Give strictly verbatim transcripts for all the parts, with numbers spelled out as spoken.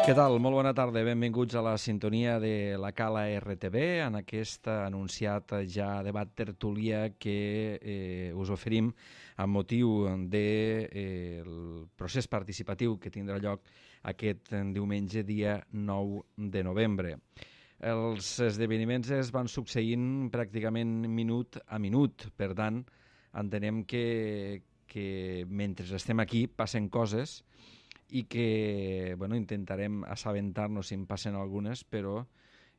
Què tal? Molt bona tarda. Benvinguts a la sintonia de la Cala R T V, en aquest anunciat ja debat tertúlia que eh, us oferim amb motiu del de, eh, procés participatiu que tindrà lloc aquest diumenge, dia nou de novembre. Els esdeveniments es van succeint pràcticament minut a minut, per tant, entenem que, que mentre estem aquí passen coses i que bueno, intentarem assabentar-nos si en passen algunes, però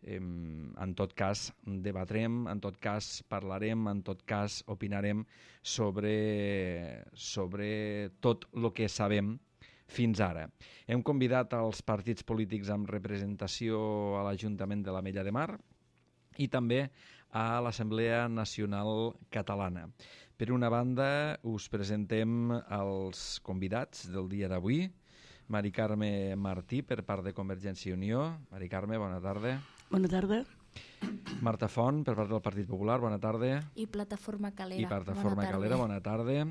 eh, en tot cas debatrem, en tot cas parlarem, en tot cas opinarem sobre, sobre tot el que sabem fins ara. Hem convidat als partits polítics amb representació a l'Ajuntament de l'Ametlla de Mar i també a l'Assemblea Nacional Catalana. Per una banda, us presentem els convidats del dia d'avui. Mari Carme Martí, per part de Convergència i Unió. Mari Carme, bona tarda. Bona tarda. Marta Font, per part del Partit Popular, bona tarda. I Plataforma Calera, I Plataforma bona Calera, bona tarda.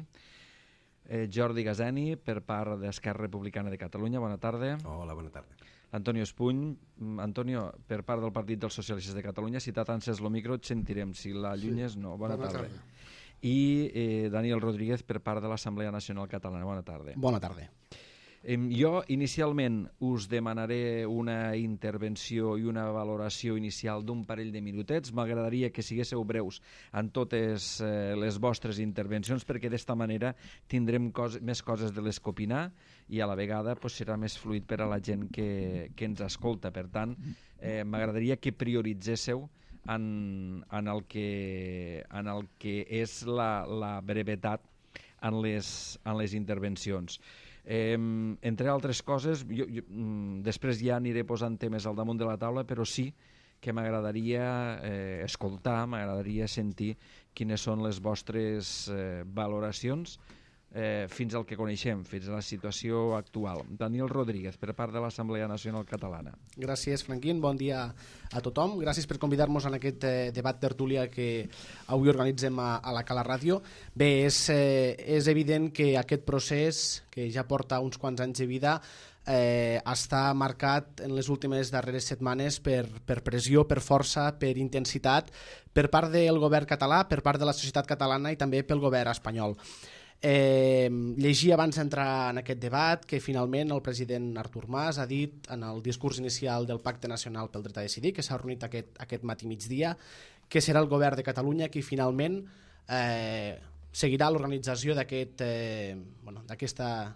Eh, Jordi Gazeni, per part d'Esquerra Republicana de Catalunya, bona tarda. Hola, bona tarda. Antonio Espuny, Antonio, per part del Partit dels Socialistes de Catalunya, si t'atances el micro et sentirem, si l'allunyes sí. no. Bona, bona tarda. tarda. I eh, Daniel Rodríguez, per part de l'Assemblea Nacional Catalana, bona tarda. Bona tarda. Eh, jo inicialment us demanaré una intervenció i una valoració inicial d'un parell de minutets. M'agradaria que siguéssiu breus en totes eh, les vostres intervencions, perquè d'esta manera tindrem cos més coses de les que opinar i a la vegada pues, serà més fluid per a la gent que, que ens escolta. Per tant, eh, m'agradaria que prioritzéssiu en, en, el que, en el que és la, la brevetat en les, en les intervencions. Eh, entre altres coses, jo, jo, mm, després ja aniré posant temes al damunt de la taula, però sí que m'agradaria eh, escoltar, m'agradaria sentir quines són les vostres eh, valoracions eh, fins al que coneixem, fins a la situació actual. Daniel Rodríguez, per part de l'Assemblea Nacional Catalana. Gràcies, Franquín. Bon dia a tothom. Gràcies per convidar-nos en aquest eh, debat tertúlia que avui organitzem a, a la Cala Ràdio. Bé, és, eh, és evident que aquest procés, que ja porta uns quants anys de vida, eh, està marcat en les últimes darreres setmanes per, per pressió, per força, per intensitat, per part del govern català, per part de la societat catalana i també pel govern espanyol. Eh, llegir abans d'entrar en aquest debat que finalment el president Artur Mas ha dit en el discurs inicial del Pacte Nacional pel Dret a Decidir, que s'ha reunit aquest, aquest matí migdia, que serà el govern de Catalunya qui finalment eh, seguirà l'organització d'aquest, eh, bueno, d'aquesta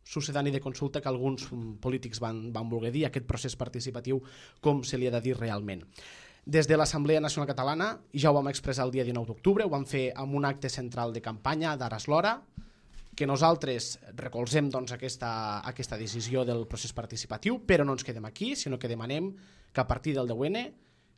succedani de consulta que alguns polítics van, van voler dir, aquest procés participatiu, com se li ha de dir realment. Des de l'Assemblea Nacional Catalana, ja ho vam expressar el dia dinou d'octubre, ho vam fer amb un acte central de campanya d'Aras l'Hora, que nosaltres recolzem doncs, aquesta, aquesta decisió del procés participatiu, però no ens quedem aquí, sinó que demanem que a partir del deu ene,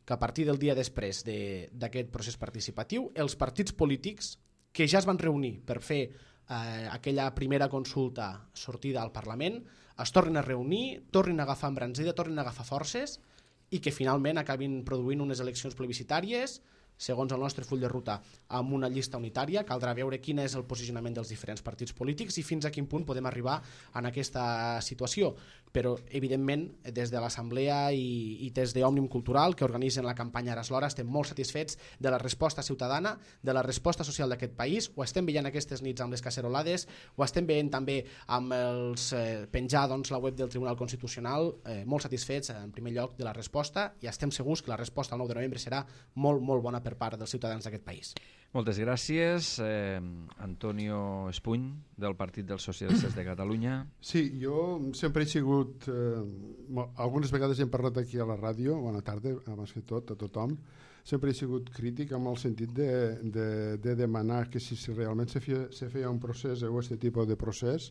que a partir del dia després d'aquest de, procés participatiu, els partits polítics que ja es van reunir per fer eh, aquella primera consulta sortida al Parlament, es tornin a reunir, tornin a agafar embranzida, tornin a agafar forces i que finalment acabin produint unes eleccions plebiscitàries, segons el nostre full de ruta, amb una llista unitària. Caldrà veure quin és el posicionament dels diferents partits polítics i fins a quin punt podem arribar en aquesta situació. Però, evidentment, des de l'Assemblea i, i des d'Òmnium Cultural, que organitzen la campanya Aras l'Hora, estem molt satisfets de la resposta ciutadana, de la resposta social d'aquest país. Ho estem veient aquestes nits amb les cacerolades, ho estem veient també amb els eh, penjar doncs, la web del Tribunal Constitucional, eh, molt satisfets, en primer lloc, de la resposta, i estem segurs que la resposta el nou de novembre serà molt, molt bona per part dels ciutadans d'aquest país. Moltes gràcies. Eh, Antonio Espuny, del Partit dels Socialistes de Catalunya. Sí, jo sempre he sigut... Eh, algunes vegades hem parlat aquí a la ràdio, bona tarda, abans que tot, a tothom. Sempre he sigut crític amb el sentit de, de, de demanar que si, si realment se feia, se feia un procés o aquest tipus de procés,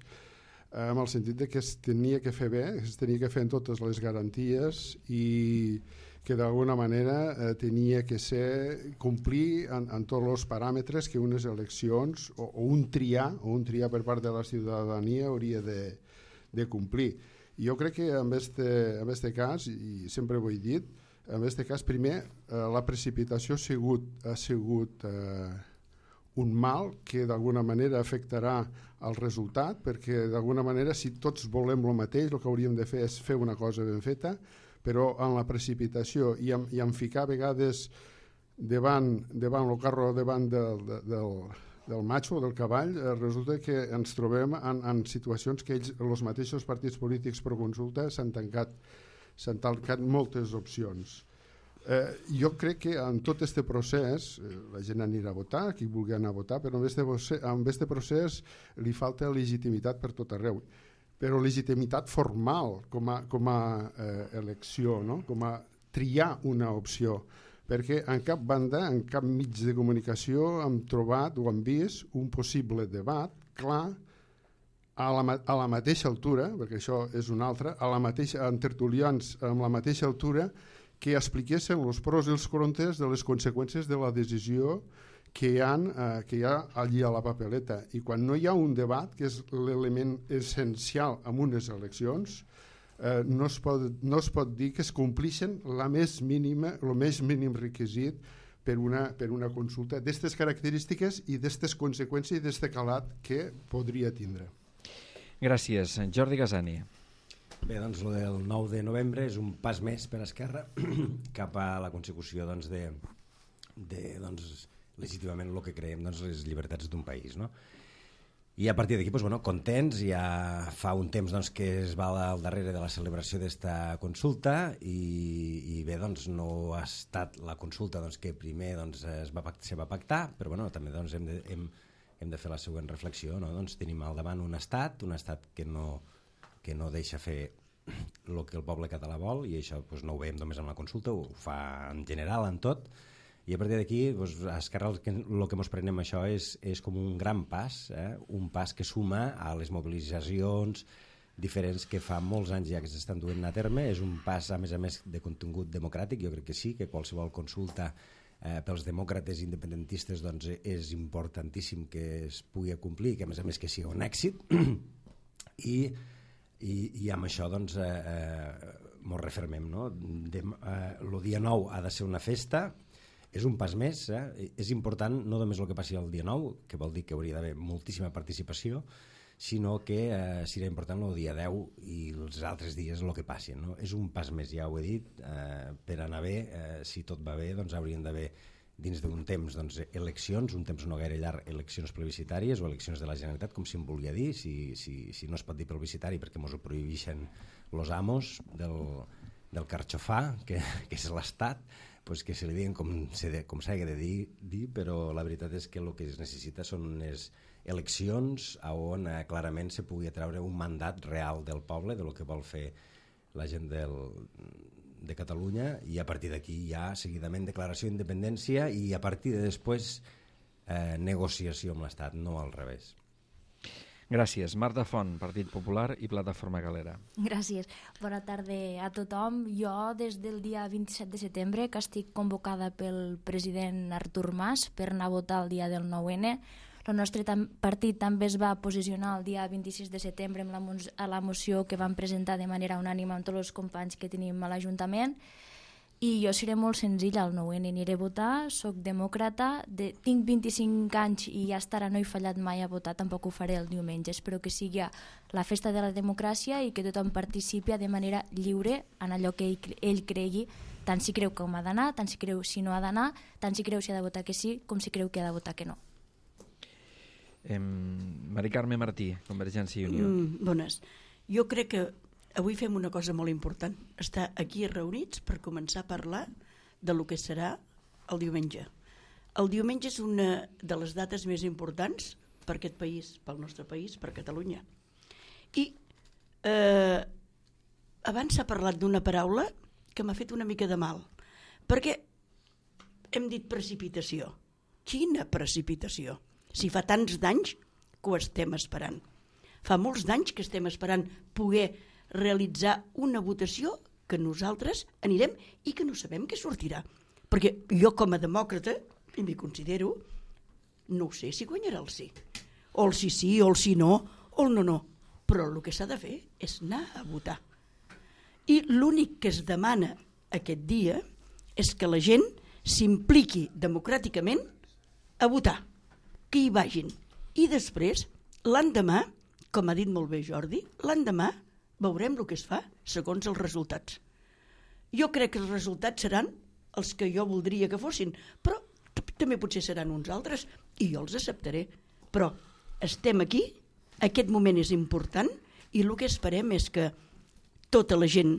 eh, amb el sentit de que es tenia que fer bé, es tenia que fer en totes les garanties i que d'alguna manera eh, tenia que ser complir en, en tots els paràmetres que unes eleccions o, o un triar o un triar per part de la ciutadania hauria de, de complir. I jo crec que en este, en este cas, i sempre ho he dit, en este cas primer eh, la precipitació ha sigut, ha sigut eh, un mal que d'alguna manera afectarà el resultat, perquè d'alguna manera si tots volem el mateix, el que hauríem de fer és fer una cosa ben feta, però en la precipitació i en, i en ficar a vegades davant, davant el carro, davant del, del, del macho, del cavall, eh, resulta que ens trobem en, en situacions que ells, els mateixos partits polítics per consulta s'han tancat, s'han tancat moltes opcions. Eh, jo crec que en tot aquest procés eh, la gent anirà a votar, qui vulgui anar a votar, però en aquest procés li falta legitimitat per tot arreu, però legitimitat formal com a, com a eh, elecció, no? Com a triar una opció, perquè en cap banda, en cap mig de comunicació hem trobat o hem vist un possible debat clar a la, a la mateixa altura, perquè això és una altra, a la mateixa, en tertulians amb la mateixa altura, que expliquessin els pros i els contres de les conseqüències de la decisió que hi, ha, eh, que hi ha allí a la papeleta. I quan no hi ha un debat, que és l'element essencial en unes eleccions, eh, no, es pot, no es pot dir que es complixen la més mínima, el més mínim requisit per una, per una consulta d'aquestes característiques i d'aquestes conseqüències i d'aquest calat que podria tindre. Gràcies. Jordi Gasani. Bé, doncs el del nou de novembre és un pas més per Esquerra cap a la consecució doncs, de, de doncs, legítimament el que creiem doncs, les llibertats d'un país, no? I a partir d'aquí, doncs, bueno, contents, ja fa un temps doncs, que es va al darrere de la celebració d'esta consulta i, i bé, doncs, no ha estat la consulta doncs, que primer doncs, es va, se va pactar, però bueno, també doncs, hem, de, hem, hem de fer la següent reflexió, no? Doncs, tenim al davant un estat, un estat que no que no deixa fer el que el poble català vol, i això doncs, no ho veiem només en la consulta, ho fa en general, en tot, i a partir d'aquí doncs, a Esquerra el que, el que ens prenem això és, és com un gran pas, eh? Un pas que suma a les mobilitzacions diferents que fa molts anys ja que s'estan duent a terme, és un pas a més a més de contingut democràtic, jo crec que sí, que qualsevol consulta eh, pels demòcrates independentistes doncs, és importantíssim que es pugui complir, que a més a més que sigui un èxit, i I, i amb això doncs eh, eh, mos refermem, no? De, eh, el dia nou ha de ser una festa, és un pas més, eh? És important no només el que passi el dia nou, que vol dir que hauria d'haver moltíssima participació, sinó que eh, serà important el dia deu i els altres dies el que passi, no? És un pas més, ja ho he dit, eh, per anar bé, eh, si tot va bé doncs haurien d'haver dins d'un temps doncs, eleccions, un temps no gaire llarg, eleccions plebiscitàries o eleccions de la Generalitat, com si em volia dir, si, si, si no es pot dir plebiscitari perquè ens ho prohibeixen los amos del, del carxofà, que, que és l'Estat, pues que se li diguen com s'hagi de dir, dir, però la veritat és que el que es necessita són unes eleccions on eh, clarament se pugui treure un mandat real del poble, de lo que vol fer la gent del de Catalunya, i a partir d'aquí ja seguidament declaració d'independència i a partir de després eh, negociació amb l'Estat, no al revés. Gràcies. Marta Font, Partit Popular i Plataforma Galera. Gràcies. Bona tarda a tothom. Jo des del dia vint-i-set de setembre que estic convocada pel president Artur Mas per anar a votar el dia del nou ene. El nostre tam- partit també es va posicionar el dia vint-i-sis de setembre amb la, mo- a la moció que vam presentar de manera unànima amb tots els companys que tenim a l'Ajuntament, i jo seré molt senzilla el nou ene, aniré a votar, soc demòcrata, de, tinc vint-i-cinc anys i ja estarà, no he fallat mai a votar, tampoc ho faré el diumenge. Espero que sigui la festa de la democràcia i que tothom participi de manera lliure en allò que ell, ell cregui, tant si creu com ha d'anar, tant si creu si no ha d'anar, tant si creu si ha de votar que sí, com si creu que ha de votar que no. Eh, Mari Carme Martí, Convergència i Unió. Mm, bones. Jo crec que avui fem una cosa molt important, estar aquí reunits per començar a parlar de lo que serà el diumenge. El diumenge és una de les dates més importants per aquest país, pel nostre país, per Catalunya. I eh, abans s'ha parlat d'una paraula que m'ha fet una mica de mal, perquè hem dit precipitació. Quina precipitació? Si fa tants d'anys que ho estem esperant. Fa molts d'anys que estem esperant poder realitzar una votació que nosaltres anirem i que no sabem què sortirà. Perquè jo com a demòcrata, i m'hi considero, no ho sé si guanyarà el sí. O el sí sí, o el sí no, o el no no. Però el que s'ha de fer és anar a votar. I l'únic que es demana aquest dia és que la gent s'impliqui democràticament a votar. que hi vagin. I després, l'endemà, com ha dit molt bé Jordi, l'endemà veurem el que es fa segons els resultats. Jo crec que els resultats seran els que jo voldria que fossin, però també potser seran uns altres i jo els acceptaré. Però estem aquí, aquest moment és important i el que esperem és que tota la gent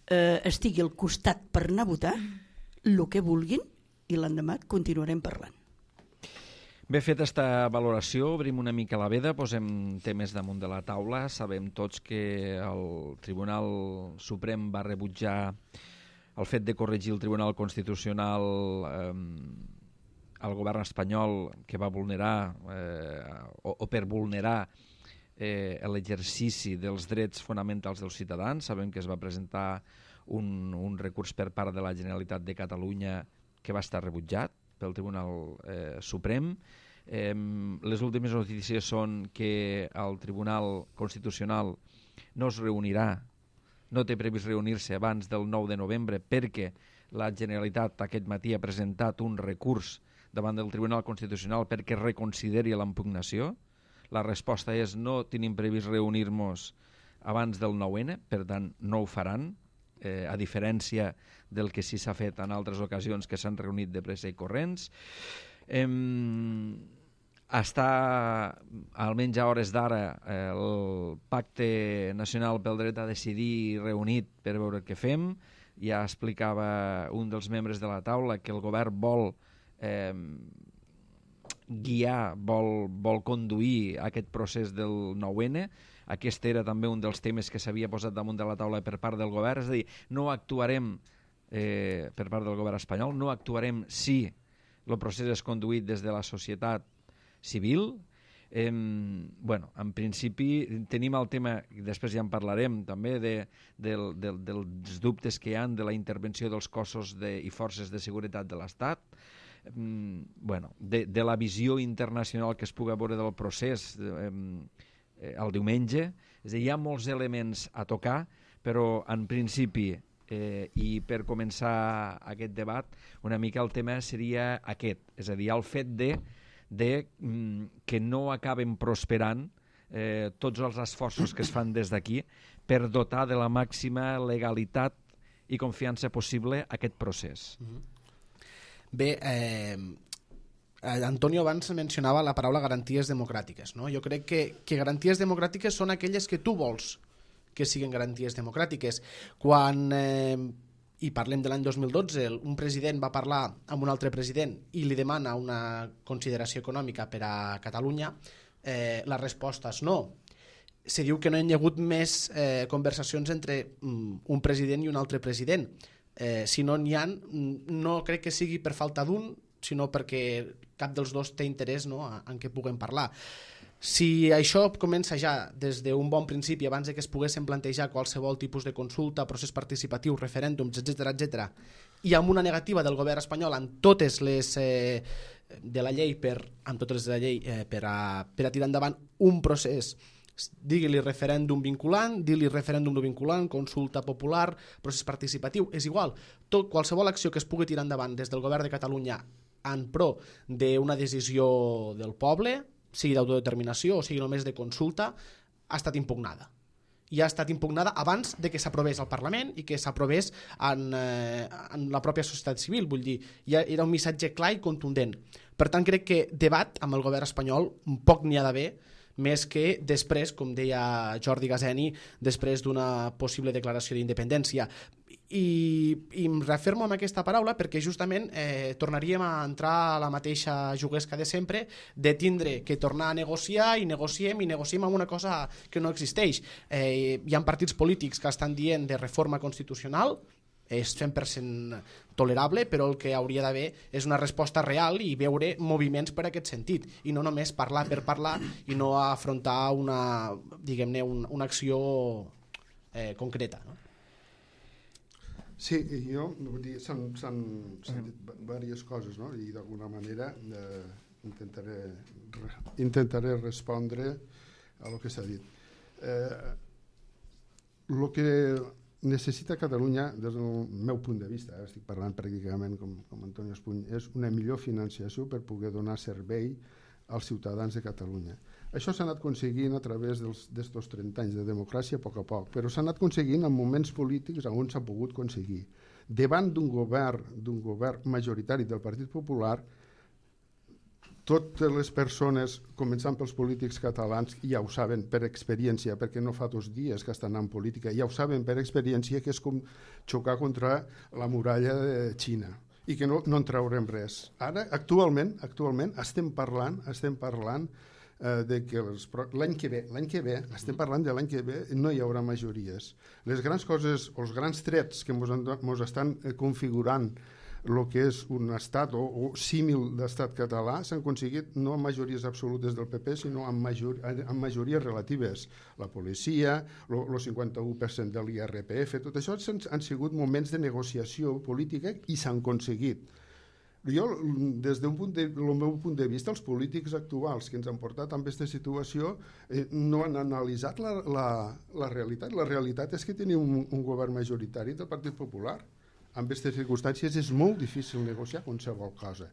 eh, estigui al costat per anar a votar el que vulguin i l'endemà continuarem parlant. Bé, fet esta valoració, obrim una mica la veda, posem temes damunt de la taula. Sabem tots que el Tribunal Suprem va rebutjar el fet de corregir el Tribunal Constitucional eh, al govern espanyol que va vulnerar eh, o, o per vulnerar eh, l'exercici dels drets fonamentals dels ciutadans. Sabem que es va presentar un, un recurs per part de la Generalitat de Catalunya que va estar rebutjat pel Tribunal eh, Suprem. Eh, les últimes notícies són que el Tribunal Constitucional no es reunirà, no té previst reunir-se abans del nou de novembre perquè la Generalitat aquest matí ha presentat un recurs davant del Tribunal Constitucional perquè reconsideri l'impugnació. La resposta és no tenim previst reunir-nos abans del nou ene, per tant no ho faran, eh, a diferència del que sí s'ha fet en altres ocasions que s'han reunit de pressa i corrents. Eh, està, almenys a hores d'ara, eh, el Pacte Nacional pel Dret a Decidir reunit per veure què fem. Ja explicava un dels membres de la taula que el govern vol eh, guiar, vol, vol conduir aquest procés del nou ene. Aquest era també un dels temes que s'havia posat damunt de la taula per part del govern, és a dir, no actuarem eh, per part del govern espanyol, no actuarem si el procés és conduït des de la societat civil. Eh, bueno, en principi tenim el tema, després ja en parlarem també, de, de, de, dels dubtes que hi ha de la intervenció dels cossos de, i forces de seguretat de l'Estat, eh, bueno, de, de la visió internacional que es pugui veure del procés eh, eh, el diumenge. És a dir, hi ha molts elements a tocar, però en principi eh, i per començar aquest debat una mica el tema seria aquest, és a dir, el fet de, de mm, que no acaben prosperant eh, tots els esforços que es fan des d'aquí per dotar de la màxima legalitat i confiança possible aquest procés. Bé, eh, Antonio abans mencionava la paraula garanties democràtiques, no? Jo crec que, que garanties democràtiques són aquelles que tu vols que siguin garanties democràtiques. Quan, eh, i parlem de l'any dos mil dotze, un president va parlar amb un altre president i li demana una consideració econòmica per a Catalunya, eh, la resposta és no. Se diu que no hi ha hagut més eh, conversacions entre mm, un president i un altre president. Eh, si no n'hi ha, no crec que sigui per falta d'un, sinó perquè cap dels dos té interès, no, en què puguem parlar. Si això comença ja des d'un bon principi, abans de que es poguessin plantejar qualsevol tipus de consulta, procés participatiu, referèndums, etcètera, etcètera, i amb una negativa del govern espanyol en totes les eh, de la llei per, amb totes les de la llei eh, per, a, per a tirar endavant un procés, digui-li referèndum vinculant, digui-li referèndum no vinculant, consulta popular, procés participatiu, és igual. Tot, qualsevol acció que es pugui tirar endavant des del govern de Catalunya en pro d'una decisió del poble, sigui d'autodeterminació o sigui només de consulta, ha estat impugnada. I ha estat impugnada abans de que s'aprovés al Parlament i que s'aprovés en, eh, en la pròpia societat civil. Vull dir, ja era un missatge clar i contundent. Per tant, crec que debat amb el govern espanyol poc n'hi ha d'haver, més que després, com deia Jordi Gazeni, després d'una possible declaració d'independència. I, i em refermo amb aquesta paraula perquè justament eh, tornaríem a entrar a la mateixa juguesca de sempre, de tindre que tornar a negociar i negociem i negociem amb una cosa que no existeix. Eh, hi ha partits polítics que estan dient de reforma constitucional, és cent per cent tolerable, però el que hauria d'haver és una resposta real i veure moviments per aquest sentit, i no només parlar per parlar i no afrontar una, diguem-ne, un, una acció eh, concreta, no? Sí, jo vull dir, s'han dit diverses coses, no? I d'alguna manera eh, intentaré, re, intentaré respondre a lo que s'ha dit. Eh, lo que necessita Catalunya, des del meu punt de vista, eh, estic parlant pràcticament com, com Antonio Espuny, és una millor financiació per poder donar servei als ciutadans de Catalunya. Això s'ha anat aconseguint a través d'aquests trenta anys de democràcia a poc a poc, però s'ha anat aconseguint en moments polítics on s'ha pogut aconseguir. Davant d'un govern, d'un govern majoritari del Partit Popular, totes les persones, començant pels polítics catalans, ja ho saben per experiència, perquè no fa dos dies que estan en política, ja ho saben per experiència que és com xocar contra la muralla de Xina i que no, no en traurem res. Ara, actualment, actualment estem parlant, estem parlant eh, de que els, l'any que ve, l'any que ve, estem parlant de l'any que ve, no hi haurà majories. Les grans coses, o els grans trets que ens estan configurant el que és un estat o, o símil d'estat català s'han aconseguit no amb majories absolutes del P P, sinó amb, major, amb majories relatives. La policia, el cinquanta-u per cent de l'I R P F, tot això han, han sigut moments de negociació política i s'han aconseguit. Jo, des del punt de, meu punt de vista, els polítics actuals que ens han portat en aquesta situació eh, no han analitzat la, la, la realitat. La realitat és que tenim un, un govern majoritari del Partit Popular. En aquestes circumstàncies és molt difícil negociar qualsevol cosa.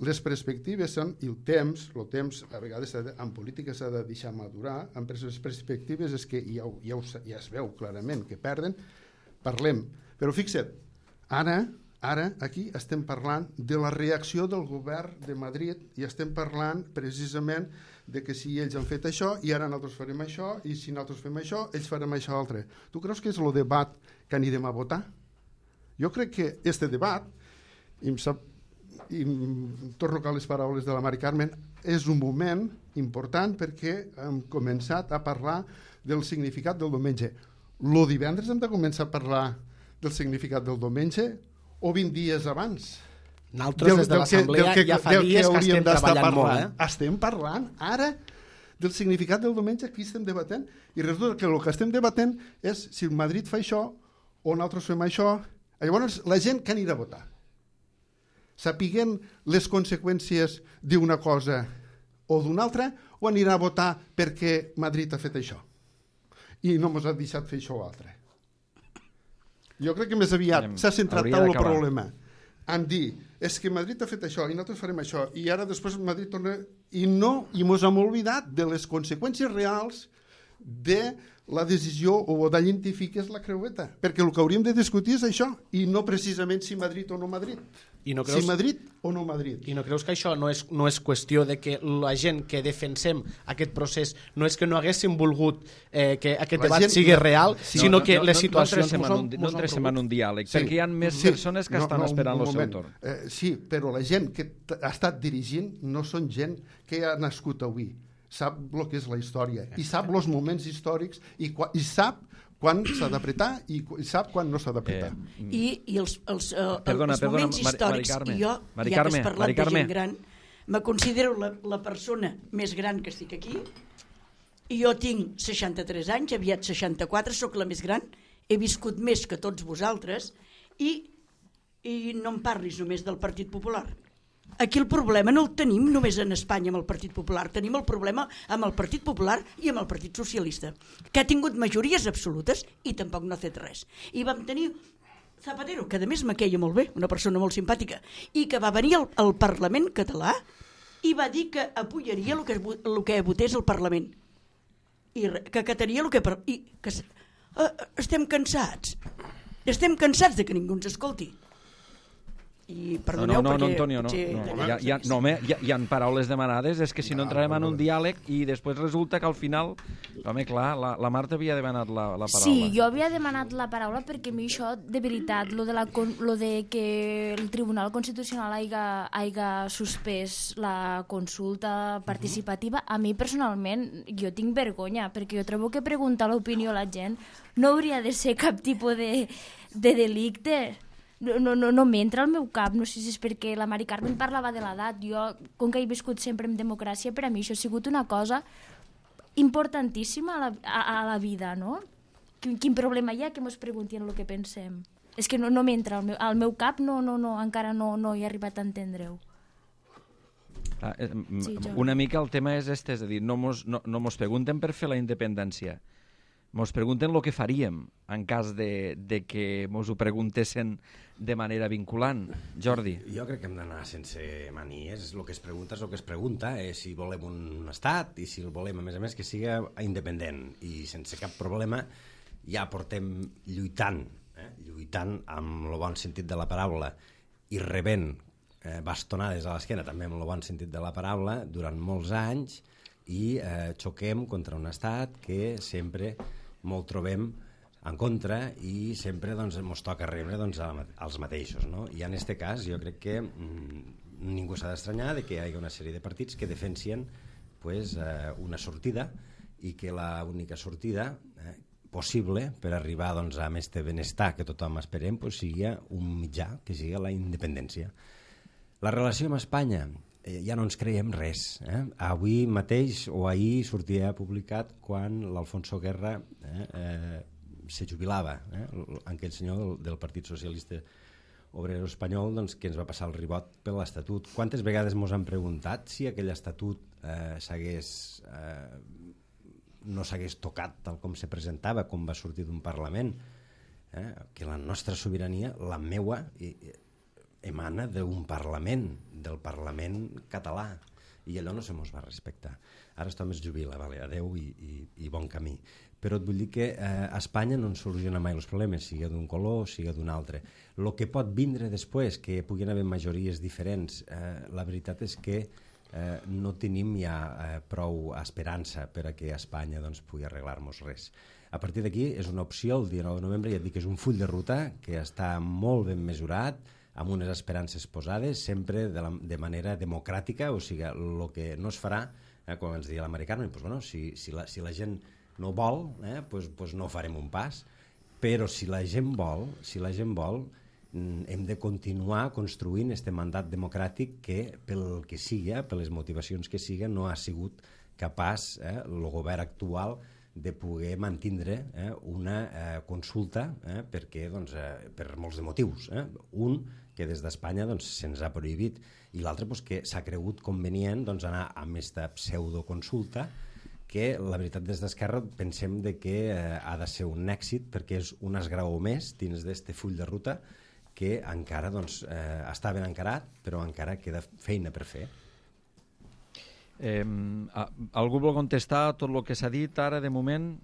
Les perspectives són, i el temps, el temps a vegades de, en política s'ha de deixar madurar, en les perspectives és que ja, ja, ja es veu clarament que perden, parlem. Però fixa't, ara, ara aquí estem parlant de la reacció del govern de Madrid i estem parlant precisament de que si ells han fet això i ara nosaltres farem això i si nosaltres fem això, ells farem això altre. Tu creus que és el debat que anirem a votar? Jo crec que este debat, i em, sap, i em torno a les paraules de la Mari Carmen, és un moment important perquè hem començat a parlar del significat del diumenge. El divendres hem de començar a parlar del significat del diumenge o vint dies abans? Nosaltres des de l'Assemblea ja fa dies que estem treballant molt. Eh? Estem parlant ara del significat del diumenge, aquí estem debatent, i resulta que el que estem debatent és si Madrid fa això o nosaltres fem això. Llavors, la gent que anirà a votar, sapiguem les conseqüències d'una cosa o d'una altra, o anirà a votar perquè Madrid ha fet això i no ens ha deixat fer això o altre. Jo crec que més aviat s'ha centrat tant el problema en dir és que Madrid ha fet això i nosaltres farem això i ara després Madrid torna i no, i ens hem oblidat de les conseqüències reals de la decisió o d'identificar què és la creueta, perquè el que hauríem de discutir és això, i no precisament si Madrid o no Madrid. I no creus, si Madrid o no Madrid. I no creus que això no és, no és qüestió de que la gent que defensem aquest procés no és que no haguéssim volgut eh, que aquest la debat gent, sigui real, sí, sinó no, que no, les situacions... No, no, no entrem en un diàleg, sí, perquè hi ha més sí, persones que no, estan no, esperant el seu torn. Eh, sí, però la gent que ha estat dirigint no són gent que ha nascut avui. Sap el que és la història i sap els moments històrics i, i sap quan s'ha d'apretar i sap quan no s'ha d'apretar. Eh, I, i els, els, uh, perdona, els moments perdona, històrics, Mari, Mari i jo, Mari ja que has parlat de gent gran, me considero la, la persona més gran que estic aquí i jo tinc seixanta-tres anys, aviat seixanta-quatre, sóc la més gran, he viscut més que tots vosaltres i, i no em parlis només del Partit Popular. Aquí el problema no el tenim només en Espanya amb el Partit Popular, tenim el problema amb el Partit Popular i amb el Partit Socialista, que ha tingut majories absolutes i tampoc no ha fet res. I vam tenir Zapatero, que a més me queia molt bé, una persona molt simpàtica, i que va venir al, al Parlament català i va dir que apoyaria el que, el que votés el Parlament, i que acataria el que... I que uh, estem cansats, estem cansats de que ningú ens escolti. I perdoneu, no, no, perquè... no, Antonio, no. Sí, no. Hi, ha, hi, ha, no, home, hi, ha, hi ha paraules demanades, és que si no entrarem en un diàleg i després resulta que al final... Home, clar, la, la Marta havia demanat la, la paraula. Sí, jo havia demanat la paraula perquè a mi això, de veritat, lo de, la, lo de que el Tribunal Constitucional haiga, haiga suspès la consulta participativa, a mi personalment jo tinc vergonya, perquè jo trobo que preguntar l'opinió a la gent no hauria de ser cap tipus de, de delicte. No, no, no, no m'entra al meu cap, no sé si és perquè la Mari Carmen parlava de l'edat, jo, com que he viscut sempre en democràcia, per a mi això ha sigut una cosa importantíssima a la, a, a la vida, no? Quin, quin problema hi ha que mos preguntin el que pensem? És que no, no m'entra al, meu, al meu cap, no, no, no, encara no, no he arribat a entendre-ho. Ah, eh, sí, una mica el tema és este, és a dir, no mos, no, no mos pregunten per fer la independència, Mos pregunten el que faríem en cas de, de que mos ho preguntessin de manera vinculant. Jordi. Jo crec que hem d'anar sense manies. El que es pregunta és el que es pregunta, eh, si volem un estat i si el volem, a més a més, que siga independent i sense cap problema. Ja portem lluitant, eh, lluitant amb el bon sentit de la paraula i rebent eh, bastonades a l'esquena, també amb el bon sentit de la paraula, durant molts anys, i eh, xoquem contra un estat que sempre molt trobem en contra i sempre doncs, ens toca rebre doncs, als mateixos. No? I en aquest cas jo crec que mm, ningú s'ha d'estranyar de que hi hagi una sèrie de partits que defensien pues, eh, una sortida i que l'única sortida eh, possible per arribar doncs, a aquest benestar que tothom esperem pues, sigui un mitjà, que sigui la independència. La relació amb Espanya, eh, ja no ens creiem res. Eh? Avui mateix o ahir sortia publicat quan l'Alfonso Guerra eh, eh, se jubilava, eh? aquell senyor del, del Partit Socialista Obrero Espanyol doncs, que ens va passar el ribot per l'Estatut. Quantes vegades ens han preguntat si aquell Estatut eh, s'hagués, eh, no s'hagués tocat tal com se presentava, com va sortir d'un Parlament? Eh? Que la nostra sobirania, la meua, emana d'un Parlament, del Parlament català, i allò no se mos va respectar. Ara estem es jubila, vale, adeu i, i, i bon camí. Però et vull dir que eh, a Espanya no ens soluciona mai els problemes, sigui d'un color o sigui d'un altre. El que pot vindre després, que puguin haver majories diferents, eh, la veritat és que eh, no tenim ja eh, prou esperança per a que a Espanya doncs, pugui arreglar-nos res. A partir d'aquí és una opció, el dia nou de novembre, ja et dic que és un full de ruta que està molt ben mesurat, amb unes esperances posades, sempre de, la, de manera democràtica, o sigui, el que no es farà, eh, com ens deia l'americà, doncs, bueno, si, si, la, si la gent no vol, eh, pues, pues no farem un pas, però si la gent vol, si la gent vol, hem de continuar construint este mandat democràtic que, pel que siga, per les motivacions que siga, no ha sigut capaç eh, el govern actual de poder mantindre eh, una eh, consulta eh, perquè, doncs, eh, per molts de motius. Eh? Un, que des d'Espanya doncs, se'ns ha prohibit, i l'altre pues, que s'ha cregut convenient doncs, anar amb aquesta pseudoconsulta que la veritat des d'Esquerra pensem de que eh, ha de ser un èxit perquè és un esgraó més dins d'este full de ruta que encara doncs, eh, està ben encarat, però encara queda feina per fer. Eh, algú vol contestar tot el que s'ha dit ara de moment?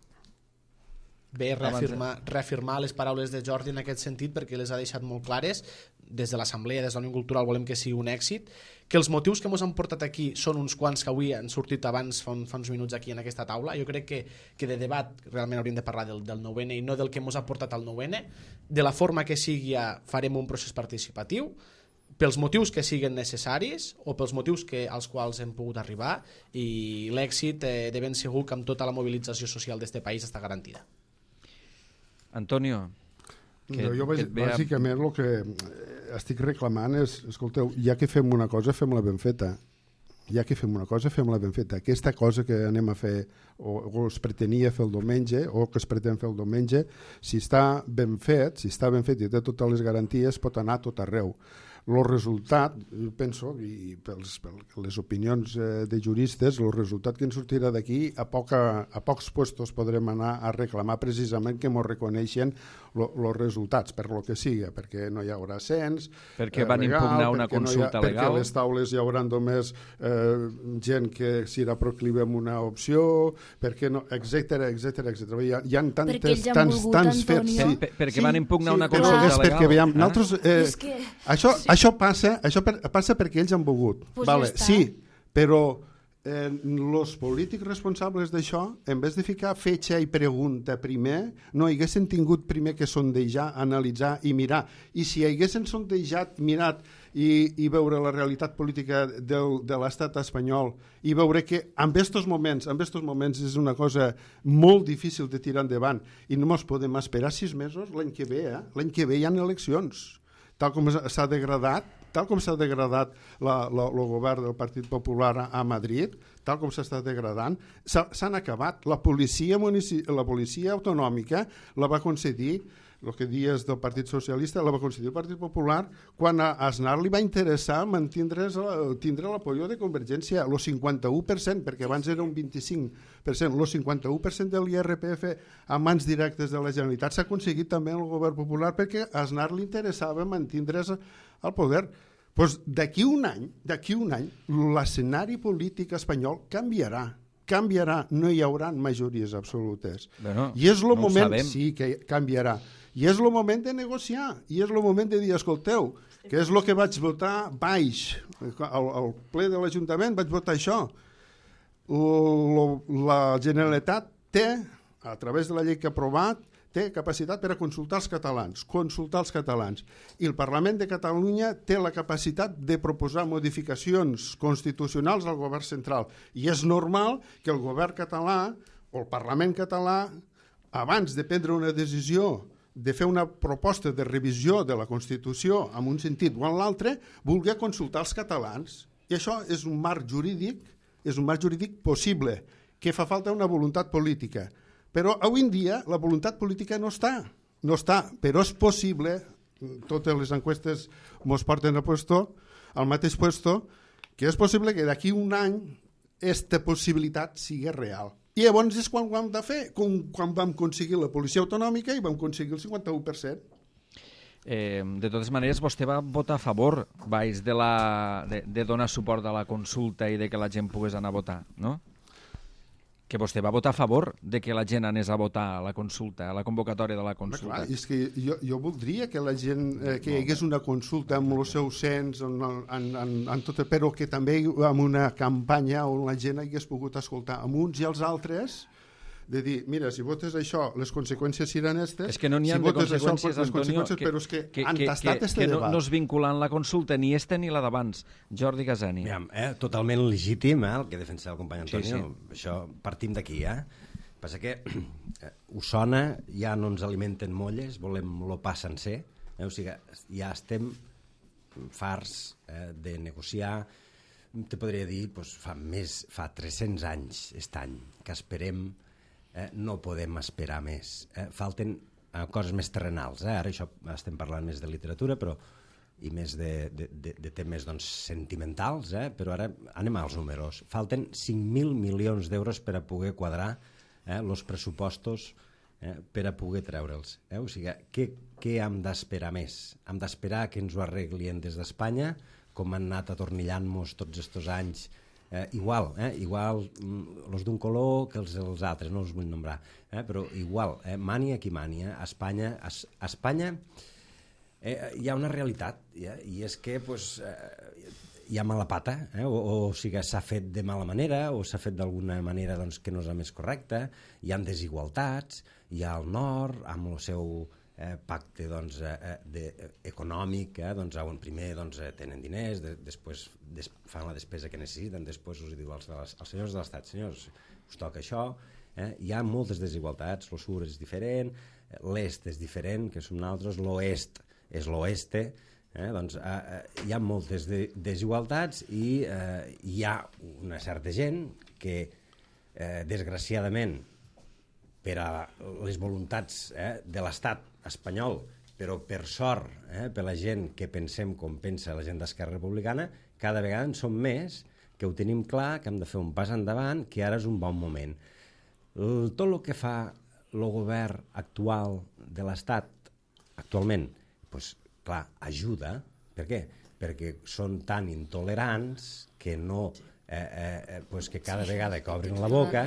Bé, reafirmar, reafirmar les paraules de Jordi en aquest sentit perquè les ha deixat molt clares. Des de l'Assemblea, des de la Unió Cultural volem que sigui un èxit, que els motius que ens han portat aquí són uns quants que avui han sortit abans fa, un, fa uns minuts aquí en aquesta taula. Jo crec que, que de debat realment hauríem de parlar del, del nou ene i no del que ens ha portat al nou ene. De la forma que sigui farem un procés participatiu, pels motius que siguin necessaris o pels motius que, als quals hem pogut arribar, i l'èxit eh, de ben segur que amb tota la mobilització social d'este país està garantida. Antonio, que, no, jo que bàsicament el que estic reclamant és, escolteu, ja que fem una cosa, fem-la ben feta. Ja que fem una cosa, fem-la ben feta. Aquesta cosa que anem a fer o, o es pretenia fer el diumenge o que es pretén fer el diumenge, si està ben fet, si està ben fet i té totes les garanties, pot anar a tot arreu. El resultat, penso, i per les opinions de juristes, el resultat que ens sortirà d'aquí, a, poca, a pocs puestos podrem anar a reclamar precisament que ens reconeixen els resultats, per lo que siga, perquè no hi haurà cens, perquè van legal, impugnar una consulta no ha, legal, perquè les taules hi haurà només eh, gent que serà proclive amb una opció, perquè no, etcètera, etcètera, etcètera. Hi ha, hi ha tantes, tants, volgut, tants fets. Sí, per, perquè sí, van impugnar sí, una consulta és legal. Perquè, veiem, ah? nosaltres, eh, és que... això, sí. això, passa, això per, passa perquè ells han volgut. Pues vale, ja sí, però els eh, polítics responsables d'això, en vez de ficar fetge i pregunta primer, no haguessin tingut primer que sondejar, analitzar i mirar. I si haguessin sondejat, mirat i, i veure la realitat política del, de l'estat espanyol i veure que en aquests moments, en aquests moments és una cosa molt difícil de tirar endavant i no ens podem esperar sis mesos l'any que ve, eh? L'any que ve hi ha eleccions. Tal com s'ha degradat, tal com s'ha degradat la, la, el govern del Partit Popular a, a Madrid, tal com s'està degradant, s'han acabat. La policia, munici... la policia autonòmica la va concedir, el que dies del Partit Socialista, la va concedir el Partit Popular quan a Aznar li va interessar mantindre tindre l'apoyo de Convergència, el cinquanta-u per cent, perquè abans era un vint-i-cinc per cent, el cinquanta-u per cent de l'I R P F a mans directes de la Generalitat s'ha aconseguit també en el govern popular perquè a Aznar li interessava mantindre's al poder. Pues d'aquí un any, d'aquí un any, l'escenari polític espanyol canviarà. Canviarà, no hi haurà majories absolutes. Bueno, I és el no moment, sí que canviarà, i és el moment de negociar, i és el moment de dir, escolteu, que és el que vaig votar baix, al, al ple de l'Ajuntament vaig votar això. L, la Generalitat té, a través de la llei que ha aprovat, té capacitat per a consultar els catalans, consultar els catalans. I el Parlament de Catalunya té la capacitat de proposar modificacions constitucionals al govern central. I és normal que el govern català o el Parlament català, abans de prendre una decisió, de fer una proposta de revisió de la Constitució en un sentit o en l'altre, vulgui consultar els catalans. I això és un marc jurídic, és un marc jurídic possible, que fa falta una voluntat política. Però avui en dia la voluntat política no està, no està, però és possible, totes les enquestes ens porten a puesto, al mateix puesto, que és possible que d'aquí un any aquesta possibilitat sigui real. I llavors és quan ho hem de fer, com quan vam aconseguir la policia autonòmica i vam aconseguir el cinquanta-u per cent. Eh, de totes maneres, vostè va votar a favor, vais, de, la, de, de donar suport a la consulta i de que la gent pogués anar a votar, no? Que vostè va votar a favor de que la gent anés a votar a la consulta, a la convocatòria de la consulta. Clar, és que jo, jo voldria que la gent, eh, que hi hagués una consulta amb el seu cens, en, en, en, en tot, però que també amb una campanya on la gent hagués pogut escoltar amb uns i els altres, de dir, mira, si votes això, les conseqüències seran aquestes. És que no n'hi ha si de conseqüències, això, Antonio, conseqüències, que, però és que, que, han que, tastat que, este que no, debat. no es vinculen la consulta ni este ni la d'abans. Jordi Gasani. Aviam, eh? Totalment legítim eh? el que defensa el company Antonio. Sí, sí. Això partim d'aquí, eh? Passa que eh, Osona ja no ens alimenten molles, volem lo pa sencer, eh? O sigui, ja estem farts eh, de negociar. Te podria dir, doncs, fa més, fa tres-cents anys, aquest any, que esperem. Eh, no podem esperar més. Eh, falten eh, coses més terrenals. Eh? Ara això estem parlant més de literatura, però i més de, de, de, de temes doncs, sentimentals, eh? Però ara anem als números. Falten cinc mil milions d'euros per a poder quadrar eh, els pressupostos eh, per a poder treure'ls. Eh? O sigui, què, què hem d'esperar més? Hem d'esperar que ens ho arreglien des d'Espanya, com han anat atornillant-nos tots aquests anys. Eh, igual, eh, igual els d'un color que els, els altres, no els vull nombrar, eh, però igual, eh, mania qui mania, a Espanya, a, a Espanya eh, hi ha una realitat, eh, i és que pues, eh, hi ha mala pata, eh, o, o, o sigui, s'ha fet de mala manera, o s'ha fet d'alguna manera doncs, que no és la més correcta, hi ha desigualtats, hi ha el nord, amb el seu Eh, pacte doncs, eh, de, eh, econòmic, eh, doncs, on primer doncs, eh, tenen diners, de, després des, fan la despesa que necessiten, després us diu als, als, als senyors de l'Estat, senyors, us toca això, eh, hi ha moltes desigualtats, el sud és diferent, l'est és diferent, que som nosaltres, l'oest és l'oeste, eh, doncs eh, eh, hi ha moltes de, desigualtats i eh, hi ha una certa gent que, eh, desgraciadament, per a les voluntats eh, de l'Estat espanyol, però per sort, eh, per la gent que pensem com pensa la gent d'Esquerra Republicana, cada vegada en som més, que ho tenim clar, que hem de fer un pas endavant, que ara és un bon moment. El, tot el que fa el govern actual de l'Estat, actualment, doncs, clar, ajuda. Per què? Perquè són tan intolerants que no... Eh, eh, pues que cada vegada que obrin la boca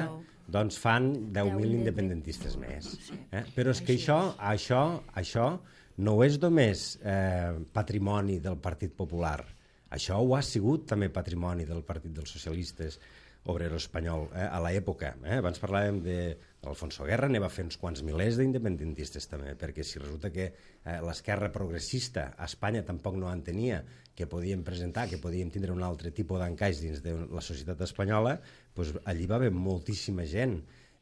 doncs fan deu mil independentistes més. Eh? Però és que això, això, això no és només eh, patrimoni del Partit Popular. Això ho ha sigut també patrimoni del Partit dels Socialistes Obrero Espanyol eh, a l'època. Eh? Abans parlàvem d'Alfonso Guerra, ne va fer uns quants milers d'independentistes també, perquè si resulta que eh, l'esquerra progressista a Espanya tampoc no en tenia, que podíem presentar, que podíem tindre un altre tipus d'encaix dins de la societat espanyola, doncs allí va haver moltíssima gent.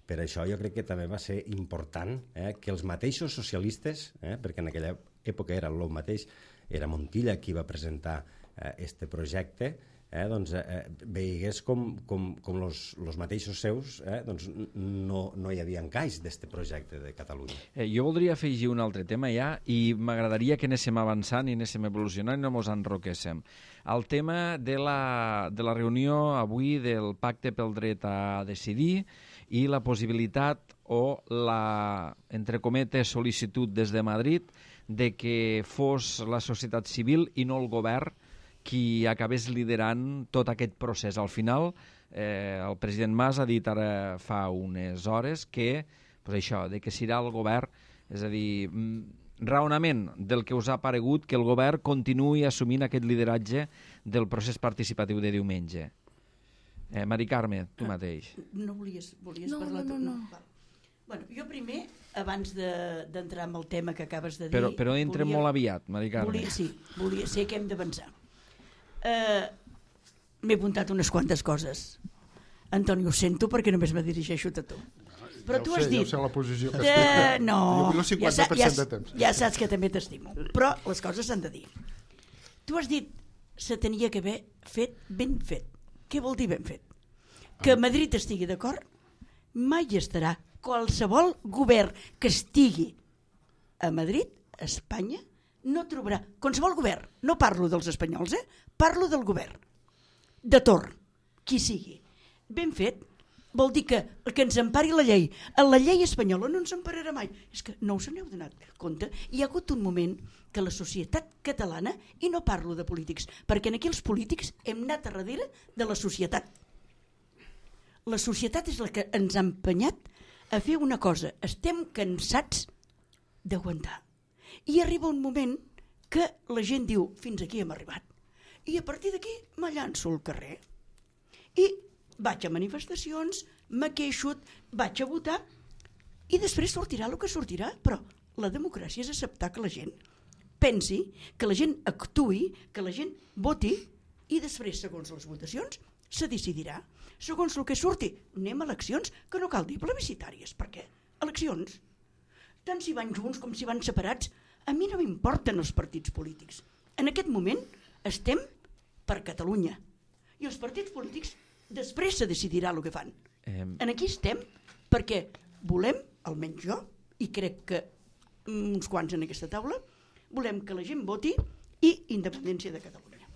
Per això jo crec que també va ser important eh, que els mateixos socialistes, eh, perquè en aquella època era el mateix, era Montilla qui va presentar eh, este projecte, eh, doncs, eh, veigués com, com, com los, los mateixos seus eh, doncs no, no hi havia encaix d'aquest projecte de Catalunya. Eh, jo voldria afegir un altre tema ja i m'agradaria que anéssim avançant i anéssim evolucionant i no mos enroquéssim. El tema de la, de la reunió avui del Pacte pel Dret a Decidir i la possibilitat o la, entre cometes, sol·licitud des de Madrid de que fos la societat civil i no el govern qui acabés liderant tot aquest procés. Al final, eh, el president Mas ha dit ara fa unes hores que, pues això, de que serà el govern, és a dir, raonament del que us ha paregut que el govern continuï assumint aquest lideratge del procés participatiu de diumenge. Eh, Mari Carme, tu mateix. No volies, volies no, parlar? No, no, no. no. Bueno, jo primer, abans d'entrar de, en el tema que acabes de dir... Però, però entrem volia, molt aviat, Mari Carme. Volia, sí, volia ser que hem d'avançar. Uh, M'he apuntat unes quantes coses. Antoni, ho sento perquè només me dirigeixo a tu. Però ja tu sé, has dit... Ja ho sé, la posició que de... estic. No, jo vull el cinquanta per cent ja, de temps. Ja saps que també t'estimo. Però les coses s'han de dir. Tu has dit se tenia que haver fet ben fet. Què vol dir ben fet? Que Madrid estigui d'acord mai estarà. Qualsevol govern que estigui a Madrid, a Espanya, no trobarà... Qualsevol govern, no parlo dels espanyols, eh? Parlo del govern. De torn, qui sigui. Ben fet, vol dir que, que ens empari la llei. En la llei espanyola no ens empararà mai. És que no us n'heu donat compte. Hi ha hagut un moment que la societat catalana, i no parlo de polítics, perquè aquí els polítics hem anat a darrere de la societat. La societat és la que ens ha empenyat a fer una cosa. Estem cansats d'aguantar. I arriba un moment que la gent diu, fins aquí hem arribat. I a partir d'aquí me llanço al carrer. I vaig a manifestacions, me queixo, vaig a votar, i després sortirà el que sortirà. Però la democràcia és acceptar que la gent pensi, que la gent actuï, que la gent voti, i després, segons les votacions, se decidirà. Segons el que surti, anem a eleccions, que no cal dir plebiscitàries. Per què? Eleccions. Tant si van junts com si van separats, a mi no m'importen els partits polítics. En aquest moment estem per Catalunya. I els partits polítics després se decidirà el que fan. Eh... En aquí estem perquè volem, almenys jo, i crec que uns quants en aquesta taula, volem que la gent voti i independència de Catalunya.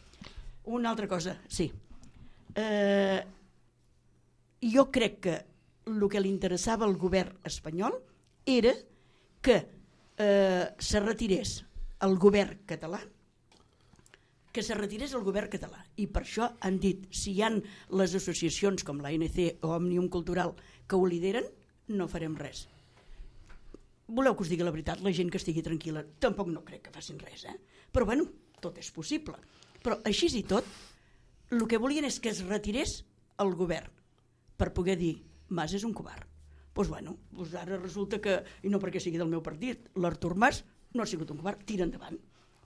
Una altra cosa, sí. Eh, jo crec que el que li interessava al govern espanyol era que eh, se retirés el govern català, que se retirés el govern català. I per això han dit, si hi ha les associacions com l'A N C o Òmnium Cultural que ho lideren, no farem res. Voleu que us digui la veritat? La gent que estigui tranquil·la tampoc no crec que facin res, eh? Però bueno, tot és possible. Però així i tot, el que volien és que es retirés el govern per poder dir, Mas és un covard. Doncs bueno, doncs ara resulta que, i no perquè sigui del meu partit, l'Artur Mas no ha sigut un covard, tira endavant.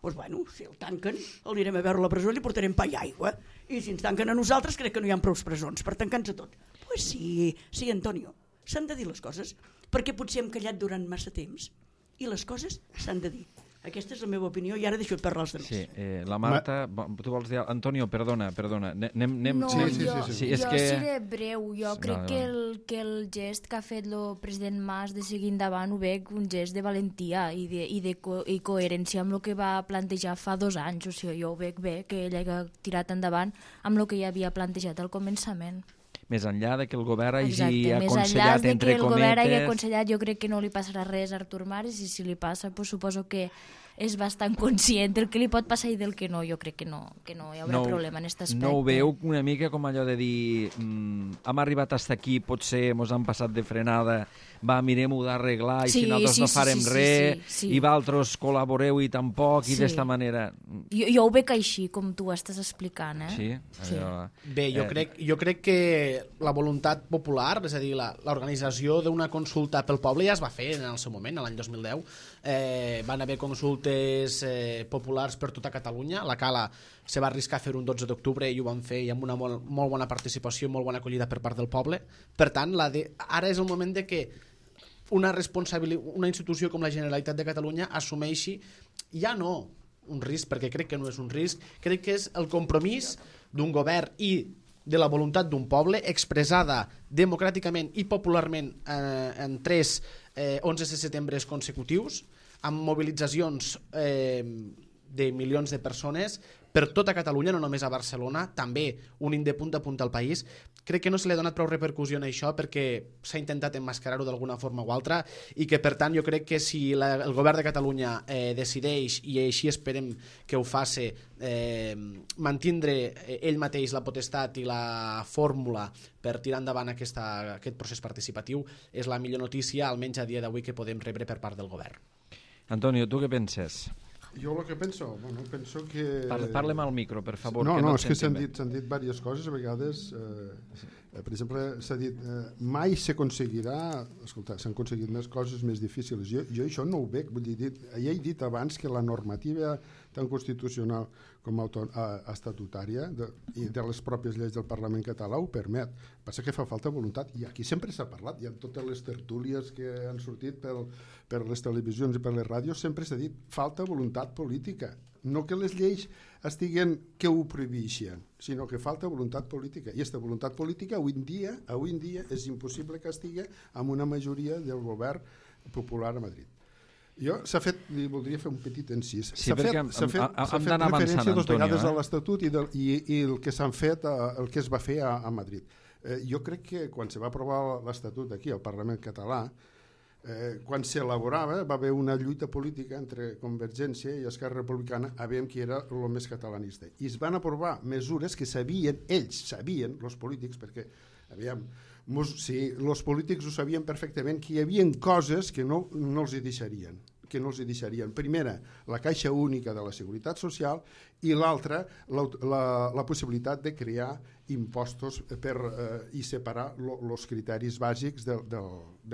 Doncs bueno, si el tanquen, el anirem a veure a la presó i li portarem pa i aigua. I si ens tanquen a nosaltres, crec que no hi ha prou presons per tancar-nos a tot. Doncs pues sí, sí, Antonio, s'han de dir les coses, perquè potser hem callat durant massa temps i les coses s'han de dir. Aquesta és la meva opinió i ara deixo de parlar els demés. Sí, eh, la Marta, Ma... tu vols dir... Antonio, perdona, perdona. Anem, anem... No, sí, sí, jo, sí, sí. sí, és jo que... seré breu. Jo crec no, no. Que, el, que el gest que ha fet el president Mas de seguir endavant ho veig un gest de valentia i, de, i, de co i coherència amb el que va plantejar fa dos anys. O sigui, jo ho veig bé, que ell ha tirat endavant amb el que ja havia plantejat al començament. Més enllà de que el govern hagi Exacte, aconsellat, més enllà de entre que el cometes... govern hagi aconsellat, jo crec que no li passarà res a Artur Mas, i si li passa, pues, suposo que és bastant conscient del que li pot passar i del que no. Jo crec que no, que no hi haurà no, problema en aquest aspecte. No ho veu una mica com allò de dir mm, hem arribat fins aquí, potser mos han passat de frenada, va, mirem-ho d'arreglar i sí, si nosaltres sí, no farem sí, sí, res sí, sí. i vosaltres col·laboreu i tampoc i Sí. d'esta manera... Jo, jo ho veig així, com tu estàs explicant, eh? Sí? Sí. Allò... Bé, jo, Eh, crec, jo crec que la voluntat popular, és a dir, la- l'organització d'una consulta pel poble ja es va fer en el seu moment, l'any dos mil deu. Eh, van haver consultes eh, populars per tota Catalunya. La Cala se va arriscar a fer un dotze d'octubre i ho van fer i amb una molt, molt bona participació, molt bona acollida per part del poble. Per tant, la de, ara és el moment de que una, una institució com la Generalitat de Catalunya assumeixi ja no un risc, perquè crec que no és un risc, crec que és el compromís d'un govern i de la voluntat d'un poble expressada democràticament i popularment eh, en tres eh, onze de setembre consecutius, amb mobilitzacions eh, de milions de persones per tota Catalunya, no només a Barcelona, també unint de punta a punta al país. Crec que no se li ha donat prou repercussió en això perquè s'ha intentat emmascarar-ho d'alguna forma o altra i que, per tant, jo crec que si la, el govern de Catalunya eh, decideix, i així esperem que ho faci, eh, mantindre ell mateix la potestat i la fórmula per tirar endavant aquesta, aquest procés participatiu, és la millor notícia, almenys a dia d'avui, que podem rebre per part del govern. Antonio, tu què penses? Jo el que penso, bueno, penso que... Parle, parlem al micro, per favor. No, que no, no és que s'han bé. dit, s'han dit diverses coses, a vegades, eh, eh, per exemple, s'ha dit, eh, mai s'aconseguirà, escolta, s'han aconseguit més coses més difícils. Jo, jo això no ho veig, vull dir, ja he dit abans que la normativa tant constitucional com auto, eh, estatutària de, i de les pròpies lleis del Parlament català ho permet. Passa que fa falta voluntat, i aquí sempre s'ha parlat, hi ha totes les tertúlies que han sortit per, per les televisions i per les ràdios, sempre s'ha dit, falta voluntat política. No que les lleis estiguen que ho prohibeixen, sinó que falta voluntat política. I aquesta voluntat política avui en dia, avui en dia és impossible que estigui amb una majoria del govern popular a Madrid. Jo s'ha fet, li voldria fer un petit encís. Sí, s'ha perquè fet, s'ha fet, hem, s'ha hem fet d'anar referència avançant, dos vegades Antonio, eh? a l'Estatut i, del, i, i el que s'han fet, el que es va fer a, a Madrid. Eh, jo crec que quan se va aprovar l'Estatut aquí al Parlament català, eh, quan s'elaborava va haver una lluita política entre Convergència i Esquerra Republicana a veure qui era el més catalanista. I es van aprovar mesures que sabien, ells sabien, els polítics, perquè aviam, mos, sí, els polítics ho sabien perfectament, que hi havia coses que no, no els hi deixarien que no els hi deixarien. Primera, la caixa única de la Seguretat Social i l'altra, la, la, la possibilitat de crear impostos per, eh, i separar els criteris bàsics de, de,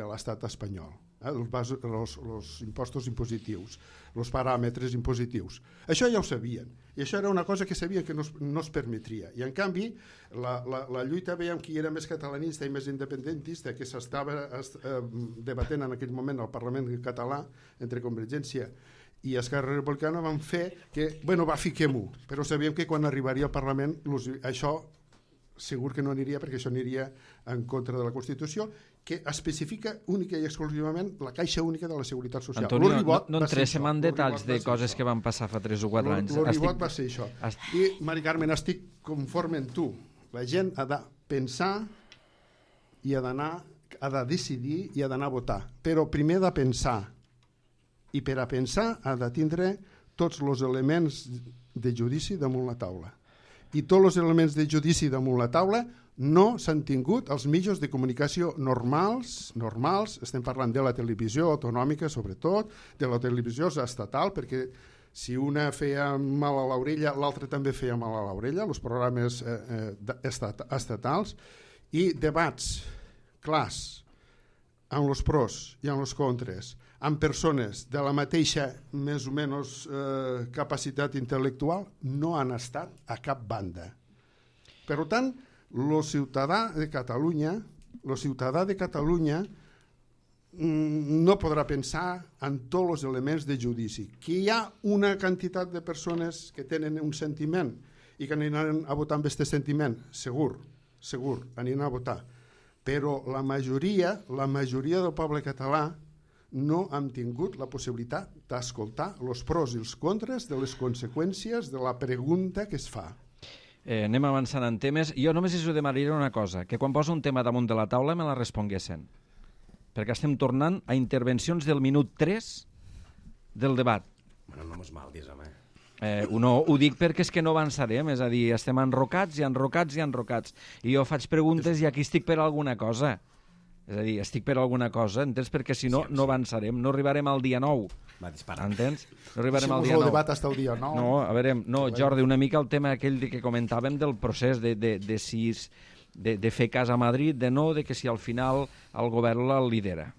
de l'estat espanyol. Eh, els, els, els impostos impositius, els paràmetres impositius. Això ja ho sabien, i això era una cosa que sabien que no es, no es permetria. I en canvi, la, la, la lluita, veiem qui era més catalanista i més independentista, que s'estava eh, debatent en aquell moment al Parlament català, entre Convergència i Esquerra Republicana, van fer que, bueno, va, fiquem-ho, però sabíem que quan arribaria al Parlament això segur que no aniria, perquè això aniria en contra de la Constitució, que especifica única i exclusivament la caixa única de la Seguretat Social. Antonio, no, no entréssim en detalls de coses que van passar fa tres o quatre anys. El ribot va ser això. Estic... I, Mari Carmen, estic conforme amb tu. La gent ha de pensar i ha d'anar, ha de decidir i ha d'anar a votar. Però primer ha de pensar. I per a pensar ha de tindre tots els elements de judici damunt la taula. I tots els elements de judici damunt la taula no s'han tingut els mitjans de comunicació normals, normals, estem parlant de la televisió autonòmica sobretot, de la televisió estatal, perquè si una feia mal a l'orella, l'altra també feia mal a l'orella, els programes eh, eh, estat, estatals, i debats clars, amb els pros i amb els contres, amb persones de la mateixa més o menys eh, capacitat intel·lectual, no han estat a cap banda. Per tant, el ciutadà de Catalunya, el ciutadà de Catalunya no podrà pensar en tots els elements de judici. Que hi ha una quantitat de persones que tenen un sentiment i que aniran a votar amb aquest sentiment, segur, segur, aniran a votar. Però la majoria, la majoria del poble català no hem tingut la possibilitat d'escoltar els pros i els contres de les conseqüències de la pregunta que es fa. Eh, anem avançant en temes. Jo només us demanaria una cosa, que quan poso un tema damunt de la taula me la responguessin. Perquè estem tornant a intervencions del minut tres del debat. Bueno, no mos maldis, home. Eh, no, ho dic perquè és que no avançarem, és a dir, estem enrocats i enrocats i enrocats. I jo faig preguntes i aquí estic per alguna cosa. És a dir, estic per alguna cosa, entens? Perquè si no, no avançarem, no arribarem al dia nou. Va disparar. Entens? No arribarem al Si dia el nou. debat hasta el dia nou. No, a veure, no, Jordi, una mica el tema aquell de que comentàvem del procés de, de, de, si, de, de fer cas a Madrid, de no, de que si al final el govern el lidera.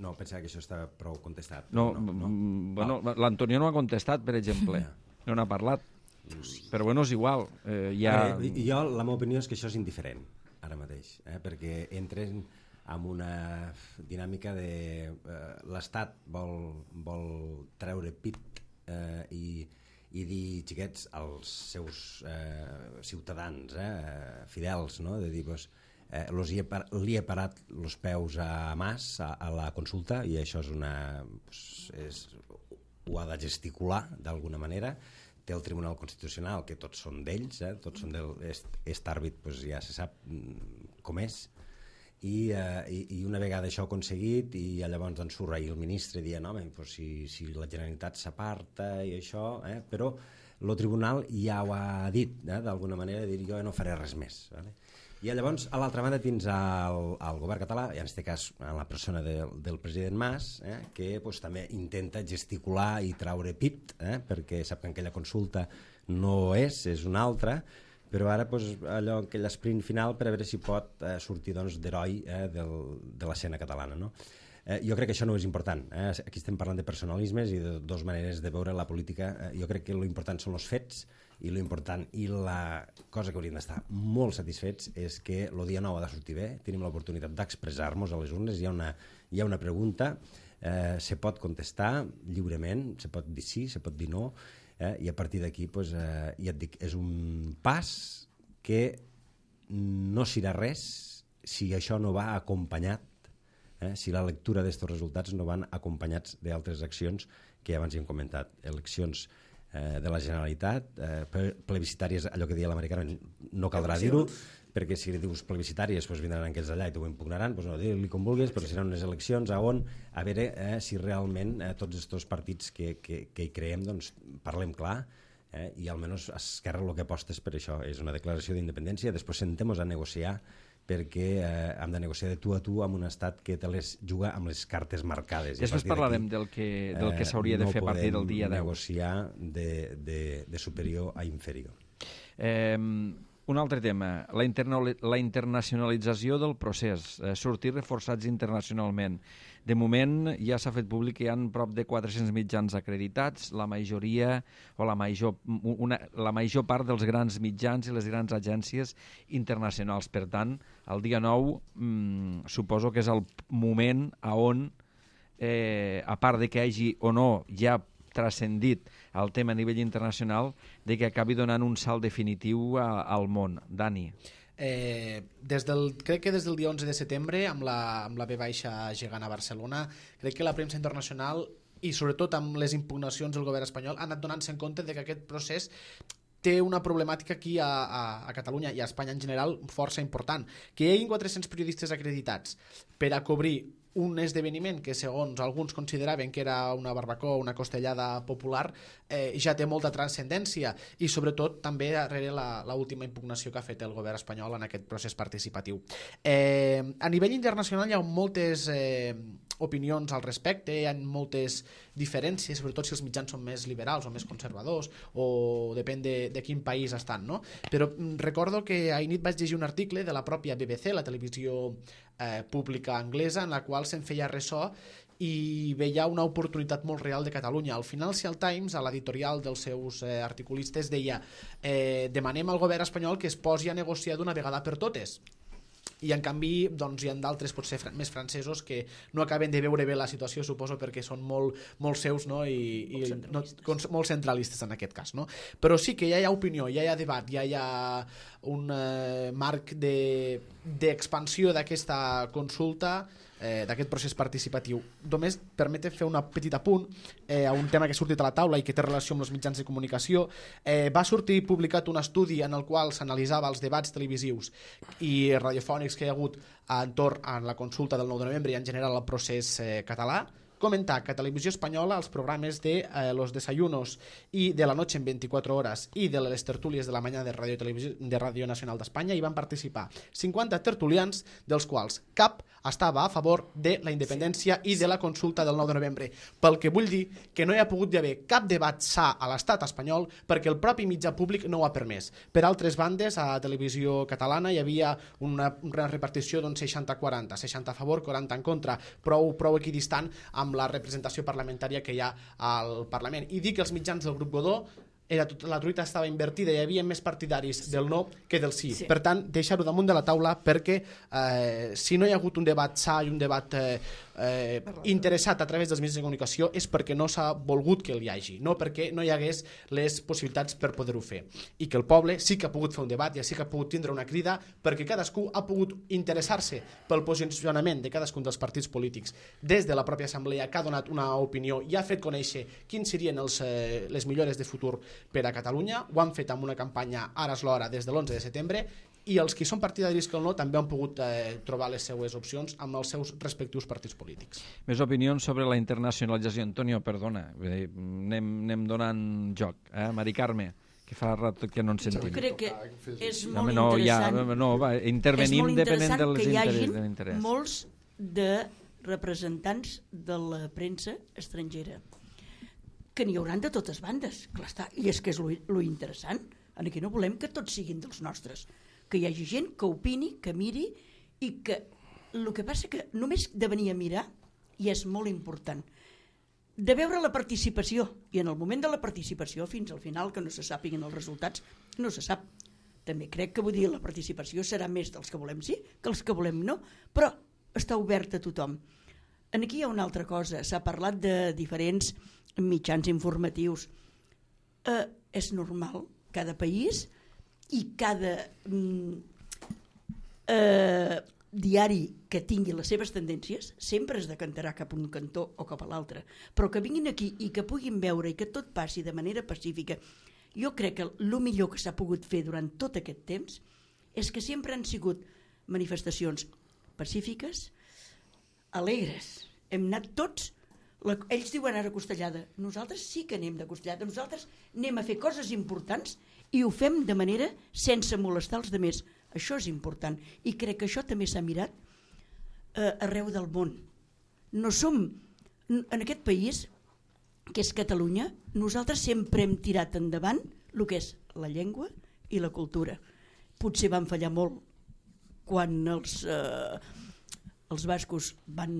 No, pensava que això està prou contestat. No, no, no. Bueno, l'Antonio no ha contestat, per exemple. No n'ha parlat. Però bueno, és igual. Eh, ja... eh, jo, la meva opinió és que això és indiferent, ara mateix, eh? Perquè entren en una dinàmica de... Eh, l'Estat vol, vol treure pit eh, i, i dir, xiquets, als seus eh, ciutadans, eh, fidels, no? De dir, pues, eh, los hi, he par li he parat els peus a Mas a, a la consulta, i això és una... Pues, és, ho ha de gesticular d'alguna manera. Té el Tribunal Constitucional, que tots són d'ells, eh? Tots són del... Est àrbit, pues, ja se sap com és. I, eh, i, i una vegada això aconseguit, i llavors doncs, surt ahir el ministre dient, home, pues, si, si la Generalitat s'aparta i això, eh? Però el tribunal ja ho ha dit, eh? D'alguna manera, de dir jo no faré res més. Vale? I llavors, a l'altra banda, tens el, el govern català, i en aquest cas en la persona de, del president Mas, eh? Que pues, també intenta gesticular i traure pit, eh? Perquè sap que aquella consulta no és, és una altra, però ara pues, allò, aquell esprint final per a veure si pot eh, sortir doncs, d'heroi eh, del, de l'escena catalana. No? Eh, jo crec que això no és important. Eh? Aquí estem parlant de personalismes i de dues maneres de veure la política. Eh, jo crec que l'important són els fets, i l'important i la cosa que hauríem d'estar molt satisfets és que el dia nou ha de sortir bé, tenim l'oportunitat d'expressar-nos a les urnes, hi ha una, hi ha una pregunta, eh, se pot contestar lliurement, se pot dir sí, se pot dir no, Eh, i a partir d'aquí pues, eh, ja et dic, és un pas que no serà res si això no va acompanyat, eh, si la lectura d'aquests resultats no van acompanyats d'altres accions que abans hi hem comentat, eleccions eh, de la Generalitat, eh, plebiscitàries, allò que deia l'americana, no caldrà dir-ho, perquè si dius plebiscitàries doncs vindran aquells d'allà i t'ho impugnaran, doncs no, digue-li com vulguis, però seran unes eleccions a on, a veure eh, si realment eh, tots aquests partits que, que, que hi creem, doncs parlem clar, eh, i almenys Esquerra el que aposta és per això, és una declaració d'independència, després sentem-nos a negociar perquè eh, hem de negociar de tu a tu amb un estat que te les juga amb les cartes marcades. Després parlarem del que, del que s'hauria de fer a partir del dia deu. No podem negociar de, de, de superior a inferior. Eh, Un altre tema, la, interna la internacionalització del procés, eh, sortir reforçats internacionalment. De moment ja s'ha fet públic que hi ha prop de quatre-cents mitjans acreditats, la majoria o la major, una, la major part dels grans mitjans i les grans agències internacionals. Per tant, el dia nou mmm, suposo que és el moment a on, eh, a part de que hagi o no ja transcendit el tema a nivell internacional, de que acabi donant un salt definitiu a, al món. Dani. Eh, des del, crec que des del dia onze de setembre, amb la, amb la V baixa gegant a Barcelona, crec que la premsa internacional i sobretot amb les impugnacions del govern espanyol han anat donant-se en compte de que aquest procés té una problemàtica aquí a, a, a Catalunya i a Espanya en general força important. Que hi hagi quatre-cents periodistes acreditats per a cobrir un esdeveniment que segons alguns consideraven que era una barbacoa, una costellada popular, eh, ja té molta transcendència i sobretot també darrere l'última impugnació que ha fet el govern espanyol en aquest procés participatiu. Eh, a nivell internacional hi ha moltes eh, opinions al respecte, hi ha moltes diferències, sobretot si els mitjans són més liberals o més conservadors o depèn de, de quin país estan, no? Però recordo que ahir nit vaig llegir un article de la pròpia B B C, la televisió eh, pública anglesa, en la qual se'n feia ressò i veia una oportunitat molt real de Catalunya. Al Financial Times, a l'editorial dels seus eh, articulistes, deia eh, demanem al govern espanyol que es posi a negociar d'una vegada per totes. I en canvi doncs, hi ha d'altres potser fr més francesos que no acaben de veure bé la situació, suposo, perquè són molt, molt seus, no? I, i molt, centralistes. No, molt centralistes en aquest cas, no? Però sí que ja hi ha opinió, ja hi ha debat, ja hi ha un eh, marc d'expansió de, d'aquesta consulta, eh, d'aquest procés participatiu. Només permete fer un petit apunt eh, a un tema que ha sortit a la taula i que té relació amb els mitjans de comunicació. Eh, va sortir publicat un estudi en el qual s'analitzava els debats televisius i radiofònics que hi ha hagut entorn a la consulta del nou de novembre i en general al procés eh, català. Comentar que a Televisió Espanyola els programes de eh, Los Desayunos i de la Noche en veinticuatro horas i de les tertúlies de la mañana de Ràdio, de Ràdio Nacional d'Espanya hi van participar cinquanta tertulians, dels quals cap estava a favor de la independència i de la consulta del nou de novembre. Pel que vull dir que no hi ha pogut haver cap debat sa a l'estat espanyol perquè el propi mitjà públic no ho ha permès. Per altres bandes, a Televisió Catalana hi havia una, una repartició d'un seixanta quaranta, seixanta a favor, quaranta en contra, prou, prou equidistant amb la representació parlamentària que hi ha al Parlament. I dir que els mitjans del grup Godó era tot, la truita estava invertida, hi havia més partidaris del no que del sí. Sí. Per tant, deixar-ho damunt de la taula perquè eh, si no hi ha hagut un debat sa i un debat eh, eh, interessat a través dels mitjans de comunicació és perquè no s'ha volgut que hi hagi, no perquè no hi hagués les possibilitats per poder-ho fer. I que el poble sí que ha pogut fer un debat i sí que ha pogut tindre una crida perquè cadascú ha pogut interessar-se pel posicionament de cadascun dels partits polítics des de la pròpia assemblea que ha donat una opinió i ha fet conèixer quins serien els, eh, les millores de futur per a Catalunya. Ho han fet amb una campanya Ara és l'hora des de l'onze de setembre i els que són partidaris que el no també han pogut eh, trobar les seues opcions amb els seus respectius partits polítics. Més opinions sobre la internacionalització. Antonio, perdona, anem, anem donant joc. Eh? Mari Carme, que fa rato que no ens sentim. Jo crec que és No, molt no, ja, interessant. no, va, intervenim és molt depenent interessant dels que hi interessos hagin de l'interès. molts de representants de la premsa estrangera que n'hi hauran de totes bandes, clar està, i és que és lo, lo interessant. Aquí no volem que tots siguin dels nostres, que hi hagi gent que opini, que miri, i que el que passa que només de venir a mirar i és molt important de veure la participació, i en el moment de la participació fins al final que no se sàpiguen els resultats no se sap. També crec que vull dir la participació serà més dels que volem sí que els que volem no, però està obert a tothom. Aquí hi ha una altra cosa, s'ha parlat de diferents mitjans informatius. Eh, és normal, cada país i cada mm, eh, diari que tingui les seves tendències sempre es decantarà cap a un cantó o cap a l'altre, però que vinguin aquí i que puguin veure i que tot passi de manera pacífica. Jo crec que el millor que s'ha pogut fer durant tot aquest temps és que sempre han sigut manifestacions pacífiques, alegres. Hem anat tots, la, ells diuen ara costellada, nosaltres sí que anem de costellada, nosaltres anem a fer coses importants i ho fem de manera sense molestar els altres. Això és important i crec que això també s'ha mirat eh, arreu del món. No som, en aquest país, que és Catalunya, nosaltres sempre hem tirat endavant el que és la llengua i la cultura. Potser van fallar molt quan els, eh, els bascos van,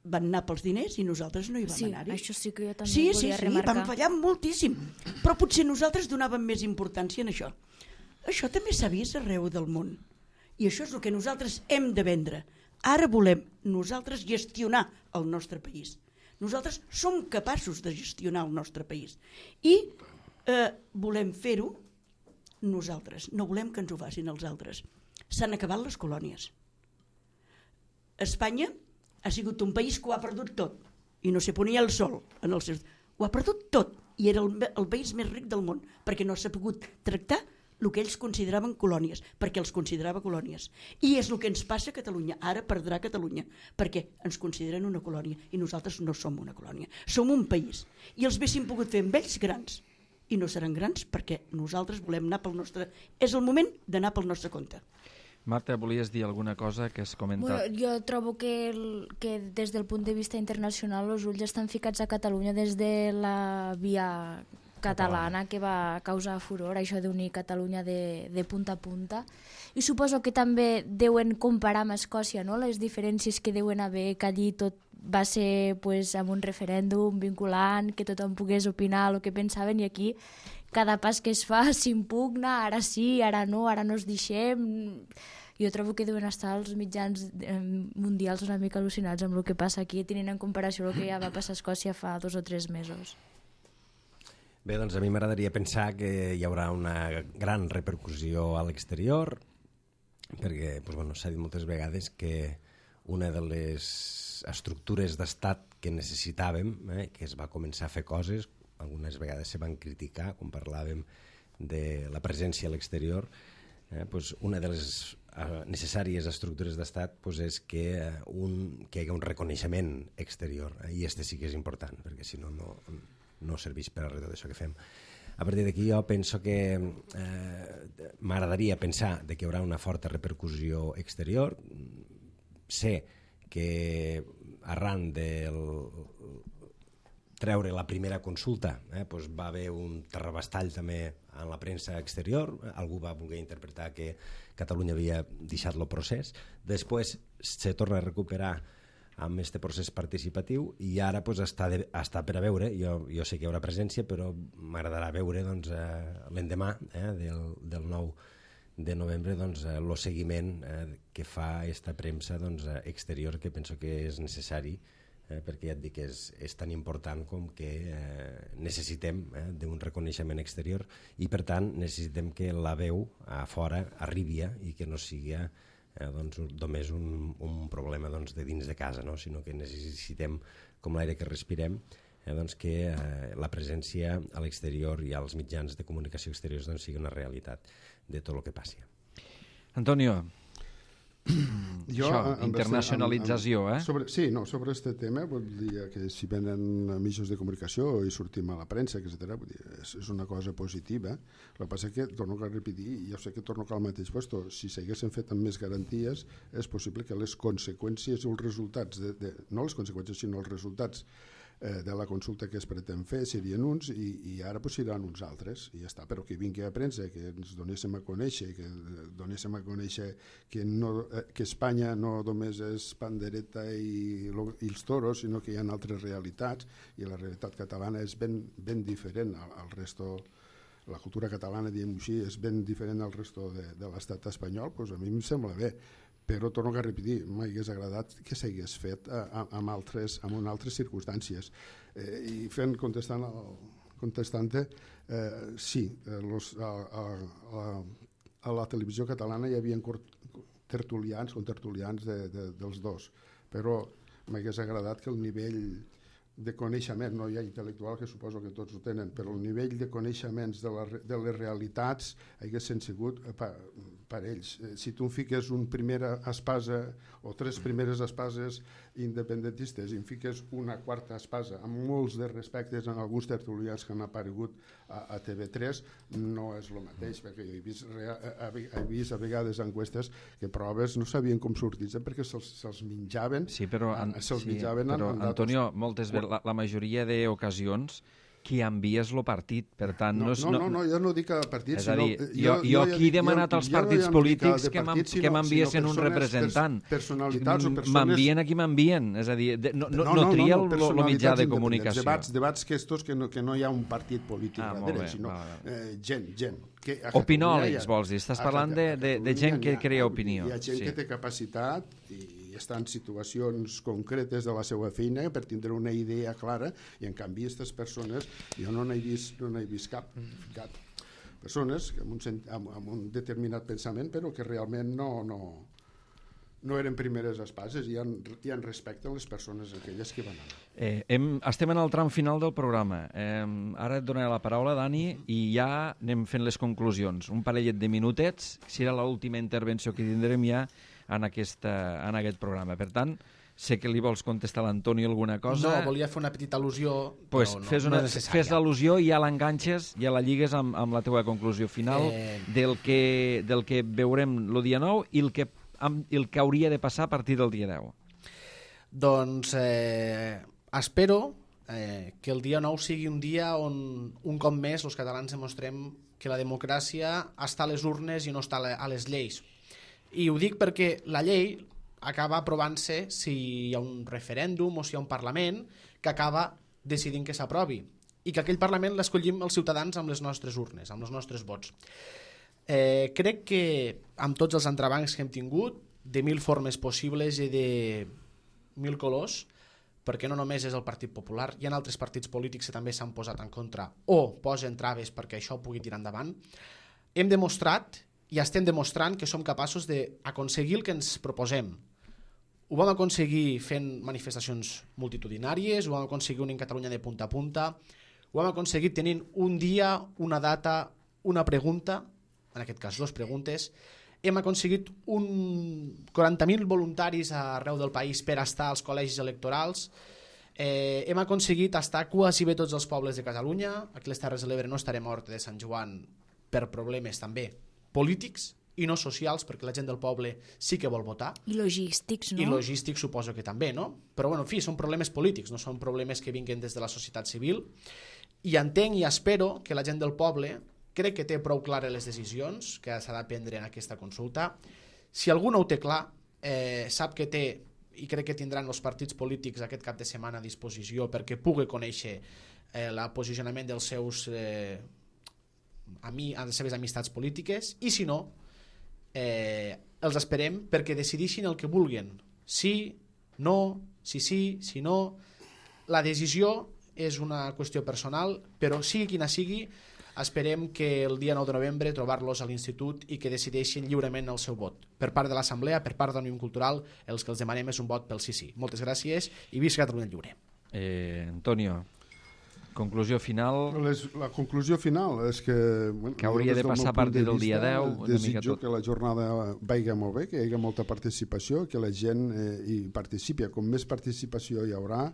van anar pels diners i nosaltres no hi vam sí, anar-hi. Això sí que jo també sí, volia sí, remarcar. Sí, van fallar moltíssim, però potser nosaltres donàvem més importància en això. Això també s'ha vist arreu del món i això és el que nosaltres hem de vendre. Ara volem nosaltres gestionar el nostre país. Nosaltres som capaços de gestionar el nostre país i eh, volem fer-ho nosaltres, no volem que ens ho facin els altres. S'han acabat les colònies. Espanya ha sigut un país que ho ha perdut tot i no se ponia el sol en els seus... Ho ha perdut tot i era el, el país més ric del món perquè no s'ha pogut tractar el que ells consideraven colònies, perquè els considerava colònies. I és el que ens passa a Catalunya. Ara perdrà Catalunya, perquè ens consideren una colònia i nosaltres no som una colònia. Som un país. I els haguéssim pogut fer amb ells grans. I no seran grans perquè nosaltres volem anar pel nostre... És el moment d'anar pel nostre compte. Marta, volies dir alguna cosa que has comentat? Bueno, jo trobo que, el, que des del punt de vista internacional els ulls estan ficats a Catalunya des de la via catalana que va causar furor, això d'unir Catalunya de, de punta a punta. I suposo que també deuen comparar amb Escòcia, no? Les diferències que deuen haver, que allí tot va ser pues, amb un referèndum vinculant, que tothom pogués opinar el que pensaven, i aquí cada pas que es fa s'impugna, ara sí, ara no, ara no es deixem. Jo trobo que deuen estar els mitjans mundials una mica al·lucinats amb el que passa aquí, tenint en comparació el que ja va passar a Escòcia fa dos o tres mesos. Bé, doncs a mi m'agradaria pensar que hi haurà una gran repercussió a l'exterior, perquè doncs, bueno, s'ha dit moltes vegades que una de les estructures d'estat que necessitàvem, eh, que es va començar a fer coses, algunes vegades se van criticar, quan parlàvem de la presència a l'exterior, eh, doncs una de les eh, necessàries estructures d'estat doncs és que, eh, un, que hi hagi un reconeixement exterior, eh, i este sí que és important, perquè si no, no no serveix per a res tot això que fem. A partir d'aquí jo penso que eh, m'agradaria pensar que hi haurà una forta repercussió exterior. Sé que arran del treure la primera consulta eh, doncs va haver un terrabastall també en la premsa exterior, algú va voler interpretar que Catalunya havia deixat el procés, després se torna a recuperar amb aquest procés participatiu, i ara pues, està, de, està per a veure, jo, jo sé que hi haurà presència, però m'agradarà veure doncs, eh, l'endemà eh, del, del nou de novembre doncs, eh, el seguiment eh, que fa aquesta premsa doncs, exterior, que penso que és necessari, eh, perquè ja et dic que és, és tan important com que eh, necessitem eh, d'un reconeixement exterior, i per tant necessitem que la veu a fora arribi i que no sigui eh, doncs, només un, un problema doncs, de dins de casa, no? Sinó que necessitem, com l'aire que respirem, eh, doncs, que eh, la presència a l'exterior i als mitjans de comunicació exteriors doncs, sigui una realitat de tot el que passi. Antonio, jo, això, internacionalització, eh? Sobre, sí, no, sobre aquest tema, vull dir que si venen mitjans de comunicació i sortim a la premsa, etcètera, vull dir, és, és una cosa positiva. El que passa és que, torno a repetir, i jo sé que torno al mateix puesto, si s'haguessin fet amb més garanties, és possible que les conseqüències o els resultats, de, de, no les conseqüències, sinó els resultats de la consulta que es pretén fer serien uns, i, i ara pues, seran uns altres, i ja està. Però que vingui a premsa, que ens donéssim a conèixer, que donéssim a conèixer que, no, que Espanya no només és pandereta i, lo, i els toros, sinó que hi ha altres realitats, i la realitat catalana és ben, ben diferent al, al resto. La cultura catalana, diguem així, és ben diferent al resto de, de l'estat espanyol, doncs a mi em sembla bé. Però torno a repetir, m'hagués agradat que s'hagués fet amb altres, amb altres circumstàncies. Eh, I fent, contestant, al, contestant eh, sí, los, a, a, a, a la televisió catalana hi havia tertulians, contertulians de, de, dels dos, però m'hagués agradat que el nivell de coneixement, no hi ha intel·lectual, que suposo que tots ho tenen, però el nivell de coneixements de, la, de les realitats haguessin sigut per, per ells. Si tu em fiques una primera espasa o tres primeres espases independentistes i em fiques una quarta espasa amb molts de respectes en alguns tertulians que han aparegut a, a T V tres, no és el mateix, perquè he vist, he vist a vegades enquestes que proves no sabien com sortir-se perquè se'ls se menjaven. Sí, però, an, se'ls sí, menjaven però en, en Antonio, moltes vegades, la, la majoria d'ocasions qui envies el partit, per tant... No, no, no, no, no, jo no dic a partit, és a dir, sinó, jo, jo, jo aquí he demanat als partits no polítics de que partit, m'enviessin un representant. Personalitats o persones... M'envien a qui m'envien, és a dir, de, no, no, no, no, no tria no, no, el mitjà de comunicació. Debats, debats que estos que no, que no hi ha un partit polític ah, darrere, bé, sinó eh, gent, gent. Que opinòlegs, vols dir? Estàs parlant de, de, de gent que crea opinió. Hi ha gent sí. que té capacitat i està en situacions concretes de la seva feina per tindre una idea clara, i en canvi aquestes persones jo no n'he vist, no n'he vist cap, cap persones amb un, amb, amb un determinat pensament però que realment no, no, no eren primeres espases i en, i en respecten les persones aquelles que van anar. Eh, hem, estem en el tram final del programa. Eh, ara et donaré la paraula, Dani, i ja anem fent les conclusions. Un parellet de minutets, serà l'última intervenció que tindrem ja en, aquesta, en aquest programa. Per tant, sé que li vols contestar a l'Antoni alguna cosa. No, volia fer una petita al·lusió, pues però no, fes una, no és necessària. Fes l'al·lusió i ja l'enganxes, ja la lligues amb, amb la teva conclusió final eh... del, que, del que veurem el dia nou i el que, amb, el que hauria de passar a partir del dia deu. Doncs eh, espero eh, que el dia nou sigui un dia on un cop més els catalans demostrem que la democràcia està a les urnes i no està a les lleis. I ho dic perquè la llei acaba aprovant-se si hi ha un referèndum o si hi ha un Parlament que acaba decidint que s'aprovi i que aquell Parlament l'escollim els ciutadans amb les nostres urnes, amb els nostres vots. Eh, crec que amb tots els entrebancs que hem tingut, de mil formes possibles i de mil colors, perquè no només és el Partit Popular, hi ha altres partits polítics que també s'han posat en contra o posen traves perquè això pugui tirar endavant, hem demostrat i estem demostrant que som capaços d'aconseguir el que ens proposem. Ho vam aconseguir fent manifestacions multitudinàries, ho vam aconseguir unint Catalunya de punta a punta, ho vam aconseguir tenint un dia, una data, una pregunta, en aquest cas dues preguntes, hem aconseguit un quaranta mil voluntaris arreu del país per estar als col·legis electorals, eh, hem aconseguit estar quasi bé tots els pobles de Catalunya, aquí a les Terres de l'Ebre no estarem a Horta de Sant Joan per problemes també polítics i no socials, perquè la gent del poble sí que vol votar. I logístics, no? I logístics suposo que també, no? Però, bueno, en fi, són problemes polítics, no són problemes que vinguen des de la societat civil. I entenc i espero que la gent del poble crec que té prou clares les decisions que s'ha de prendre en aquesta consulta. Si algú no ho té clar, eh, sap que té i crec que tindran els partits polítics aquest cap de setmana a disposició perquè pugui conèixer eh, el posicionament dels seus eh, ami, les seves amistats polítiques, i si no eh, els esperem perquè decideixin el que vulguin, sí, no, sí, sí, si no. La decisió és una qüestió personal, però sigui quina sigui, esperem que el dia nou de novembre trobar-los a l'institut i que decideixin lliurement el seu vot. Per part de l'Assemblea, per part d'Òmnium Cultural, els que els demanem és un vot pel sí sí. Moltes gràcies i visca Catalunya Lliure. Eh, Antonio, conclusió final... Les, la conclusió final és que... Bueno, que hauria de passar a partir del dia deu. Una mica desitjo tot. que la jornada vagi molt bé, que hi hagi molta participació, que la gent eh, hi participi. Com més participació hi haurà,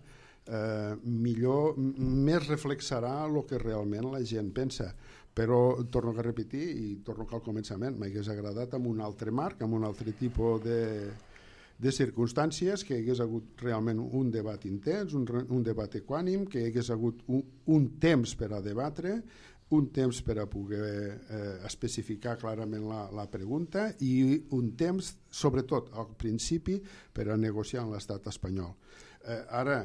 eh, millor, més reflexarà el que realment la gent pensa. Però torno a repetir i torno al començament, m'hagués agradat amb un altre marc, amb un altre tipus de, de circumstàncies, que hi hagués hagut realment un debat intens, un, un debat equànim, que hi hagués hagut un, un temps per a debatre, un temps per a poder eh, especificar clarament la, la pregunta i un temps, sobretot al principi, per a negociar amb l'estat espanyol. Eh, ara,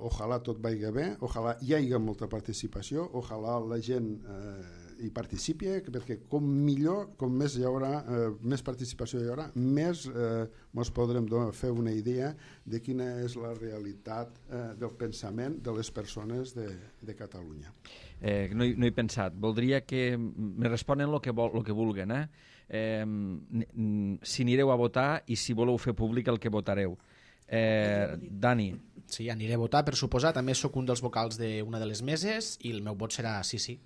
ojalà tot vagi bé, ojalà hi hagi molta participació, ojalà la gent eh, hi participi, perquè com millor, com més hi haurà, eh, més participació hi haurà, més eh, ens podrem fer una idea de quina és la realitat eh, del pensament de les persones de, de Catalunya. Eh, no, hi, no he pensat. Voldria que me responen el que, vol, lo que vulguen. Eh? Eh, si anireu a votar i si voleu fer públic el que votareu. Eh, Dani. Sí, aniré a votar, per suposar. També sóc un dels vocals d'una de les meses i el meu vot serà sí, sí.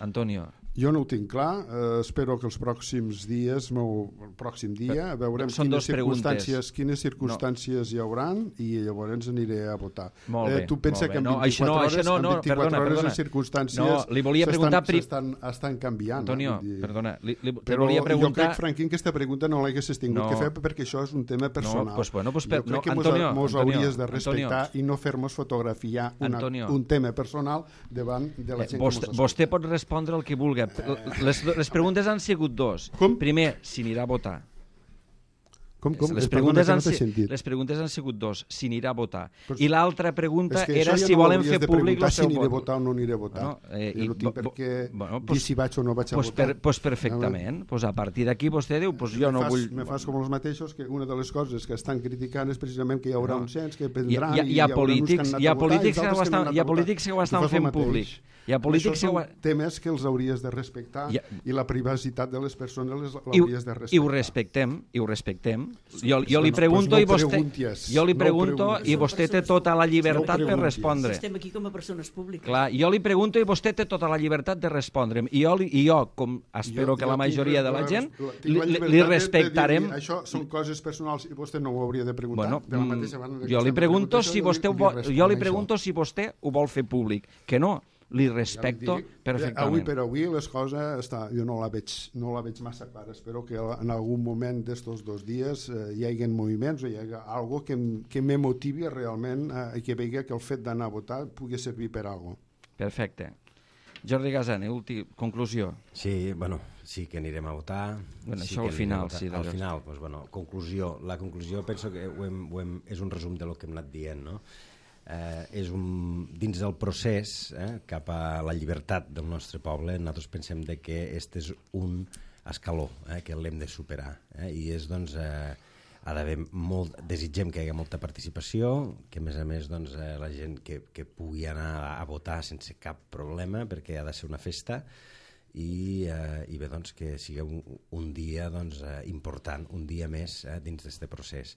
Antonio. Jo no ho tinc clar, eh, espero que els pròxims dies, meu, el pròxim dia, veurem Són quines dos preguntes. circumstàncies, quines circumstàncies no. hi hauran i llavors aniré a votar. Molt bé, eh, tu pensa molt bé. que en No, això no, vint-i-quatre hores, això no, no, en vint-i-quatre perdona, hores perdona. les circumstàncies No, li volia preguntar pri- estan, estan canviant. Antonio, eh? Vull dir, perdona, li, li, li però volia preguntar... jo crec, Franquín, que aquesta pregunta no l'haguessis tingut No. que fer perquè això és un tema personal. No, pues bueno, pues per- jo crec no, que mos, Antonio, mos Antonio, hauries de respectar Antonio. i no fer-nos fotografiar una, Antonio. un tema personal davant de la Eh, gent vostè, que mos vostè pot respondre el que vulgui. Les, les preguntes han sigut dos. Com? Primer, si anirà a votar. Com, com? Les Eh, perdona, preguntes, que han, no t'he si- sentit. les preguntes han sigut dos. Si anirà a votar. Però- I l'altra pregunta És que era això ja si no volen hauries fer de públic preguntar el seu si aniré a vot. votar o no aniré a votar. Bueno, eh, jo no i- tinc bo- per què bueno, dir pues- si vaig o no vaig a Pues, votar. per, pues perfectament. Pues a partir d'aquí vostè diu pues jo me no fas, vull... Me fas com els mateixos, que una de les coses que estan criticant és precisament que hi haurà No. un cens que Hi, prendran hi, ha- hi i ha hi haurà uns que polítics, han anat hi ha a votar polítics i que ho d'altres que no estan, han anat hi ha a votar. polítics que ho Tu estan fas el fent mateix. públic. Hi ha polítics Això que ho... són temes que els hauries de respectar Ja. i la privacitat de les persones les I, ho- l'hauries de I respectar. ho respectem, i ho respectem. Jo, jo Bueno, li pregunto pues no i vostè... preguntes, Jo li no pregunto preguntes. i vostè té tota la llibertat No per preguntes. respondre. Estem aquí com a persones públiques. Clar, jo li pregunto i vostè té tota la llibertat de respondre'm. I jo, li- i jo com espero Jo- que jo la tinc majoria de la la- gent, la- tinc li, la li- llibertat li de- de respectarem... dir-li, això són coses personals i vostè no ho hauria de preguntar. Bueno, de la mm, mateixa manera que jo li vostè pregunto pregunta si això, vostè ho li- vol, li jo li responc pregunto si vostè ho vol fer públic. Que no, li respecto Ja li dic, perfectament. Avui per avui les coses està, jo no la veig, no la veig massa clara. Espero que en algun moment d'estos dos dies eh, hi hagi moviments o hi hagi algo que, em- que me motivi realment eh, i que vegi que el fet d'anar a votar pugui servir per algo. Perfecte. Jordi Gasane, últim, conclusió. Sí, bueno, sí que anirem a votar. Bueno, sí això que al anirem final, a votar. sí, Al d'allò. final, doncs, bueno, conclusió. La conclusió penso que ho hem, ho hem, és un resum de lo que hem anat dient, no? Eh, és un, dins del procés eh, cap a la llibertat del nostre poble, nosaltres pensem de que este és un escaló eh, que l'hem de superar eh, i és doncs eh, ha d'haver molt, desitgem que hi hagi molta participació, que a més a més doncs, eh, la gent que, que pugui anar a votar sense cap problema perquè ha de ser una festa i, eh, i bé doncs que sigui un, un dia doncs, eh, important, un dia més eh, dins d'aquest procés.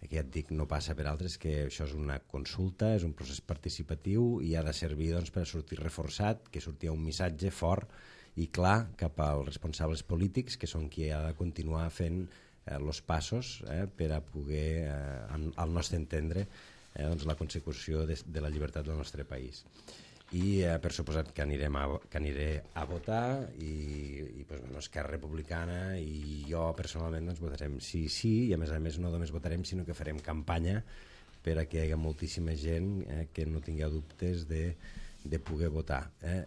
Que ja et dic, no passa per altres, que això és una consulta, és un procés participatiu i ha de servir doncs, per sortir reforçat, que surti un missatge fort i clar cap als responsables polítics, que són qui ha de continuar fent els eh, passos eh, per a poder, eh, al nostre entendre, eh, doncs, la consecució de, de la llibertat del nostre país. I eh, per suposat que anirem a, que aniré a votar i, i pues, bueno, Esquerra Republicana i jo personalment doncs, votarem sí, sí i a més a més no només votarem sinó que farem campanya per a que hi hagi moltíssima gent eh, que no tingueu dubtes de, de poder votar. Eh.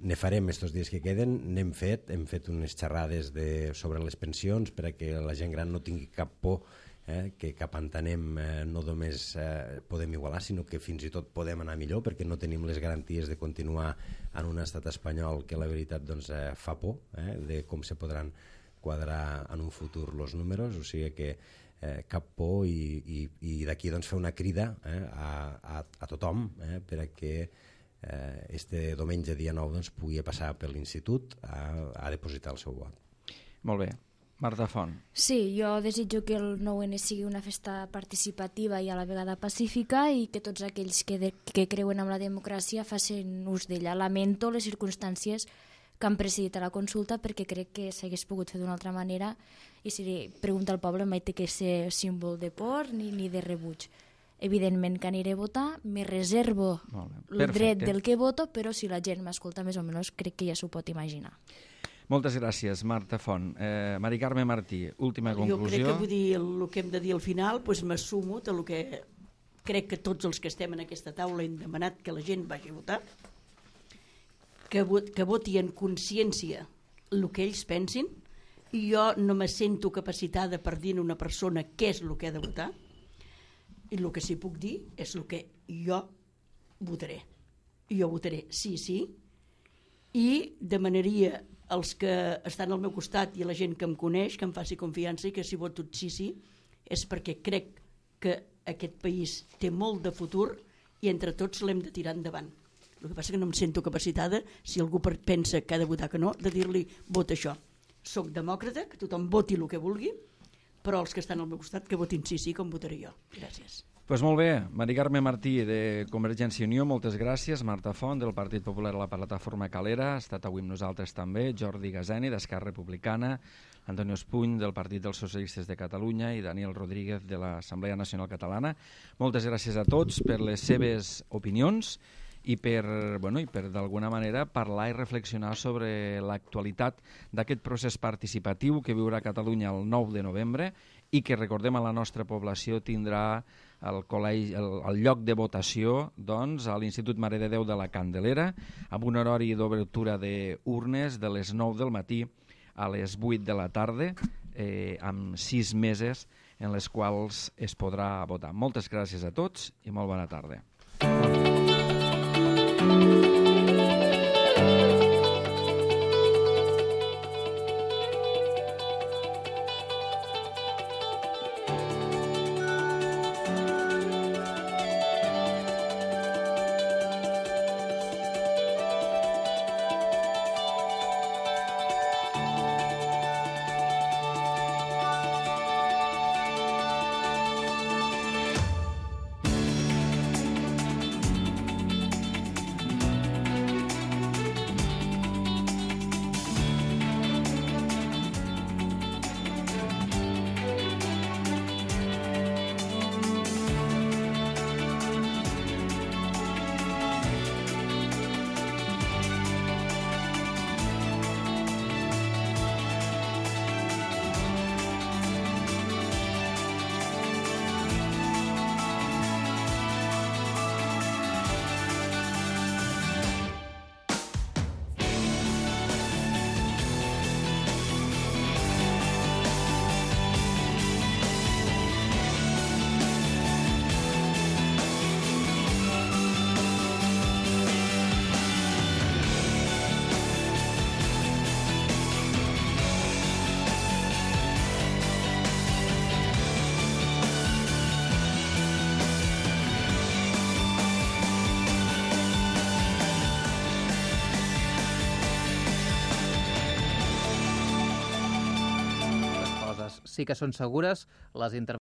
Ne farem estos dies que queden, n'hem fet, hem fet unes xerrades de, sobre les pensions per a que la gent gran no tingui cap por eh, que cap entenem eh, no només eh, podem igualar, sinó que fins i tot podem anar millor, perquè no tenim les garanties de continuar en un estat espanyol que la veritat doncs, eh, fa por eh, de com se podran quadrar en un futur els números, o sigui que eh, cap por i, i, i d'aquí doncs, fer una crida eh, a, a, a tothom eh, per a que eh, este diumenge dia nou doncs, pugui passar per l'institut a, a depositar el seu vot. Molt bé. Marta Font. Sí, jo desitjo que el nou ene sigui una festa participativa i a la vegada pacífica i que tots aquells que, de, que creuen en la democràcia facin ús d'ella. Lamento les circumstàncies que han precedit a la consulta perquè crec que s'hagués pogut fer d'una altra manera i si pregunta al poble mai té que ser símbol de por ni, ni de rebuig. Evidentment que aniré a votar, me reservo el dret del que voto, però si la gent m'escolta més o menys crec que ja s'ho pot imaginar. Moltes gràcies, Marta Font. Eh, Mari Carme Martí, última conclusió. Jo crec que vull dir el, el que hem de dir al final, doncs m'assumo de lo que crec que tots els que estem en aquesta taula hem demanat que la gent vagi a votar, que, vot, que voti en consciència el que ells pensin, i jo no me sento capacitada per dir a una persona què és el que ha de votar, i el que sí puc dir és el que jo votaré. Jo votaré sí, sí, i demanaria els que estan al meu costat i la gent que em coneix, que em faci confiança i que si voto sí, sí, és perquè crec que aquest país té molt de futur i entre tots l'hem de tirar endavant. El que passa que no em sento capacitada, si algú pensa que ha de votar que no, de dir-li vota això. Soc demòcrata, que tothom voti el que vulgui, però els que estan al meu costat que votin sí, sí, com votaré jo. Gràcies. Pues molt bé, Mari Carme Martí de Convergència i Unió, moltes gràcies. Marta Font del Partit Popular a la Plataforma Calera, ha estat avui amb nosaltres també. Jordi Gazeni d'Esquerra Republicana, Antonio Espuny del Partit dels Socialistes de Catalunya i Daniel Rodríguez de l'Assemblea Nacional Catalana. Moltes gràcies a tots per les seves opinions i per, bueno, i per d'alguna manera parlar i reflexionar sobre l'actualitat d'aquest procés participatiu que viurà Catalunya el nou de novembre i que, recordem, a la nostra població tindrà el, col·legi, el, el lloc de votació doncs, a l'Institut Mare de Déu de la Candelera, amb un horari d'obertura d'urnes de les nou del matí a les vuit de la tarda, eh, amb sis meses en les quals es podrà votar. Moltes gràcies a tots i molt bona tarda. Sí que són segures les intervencions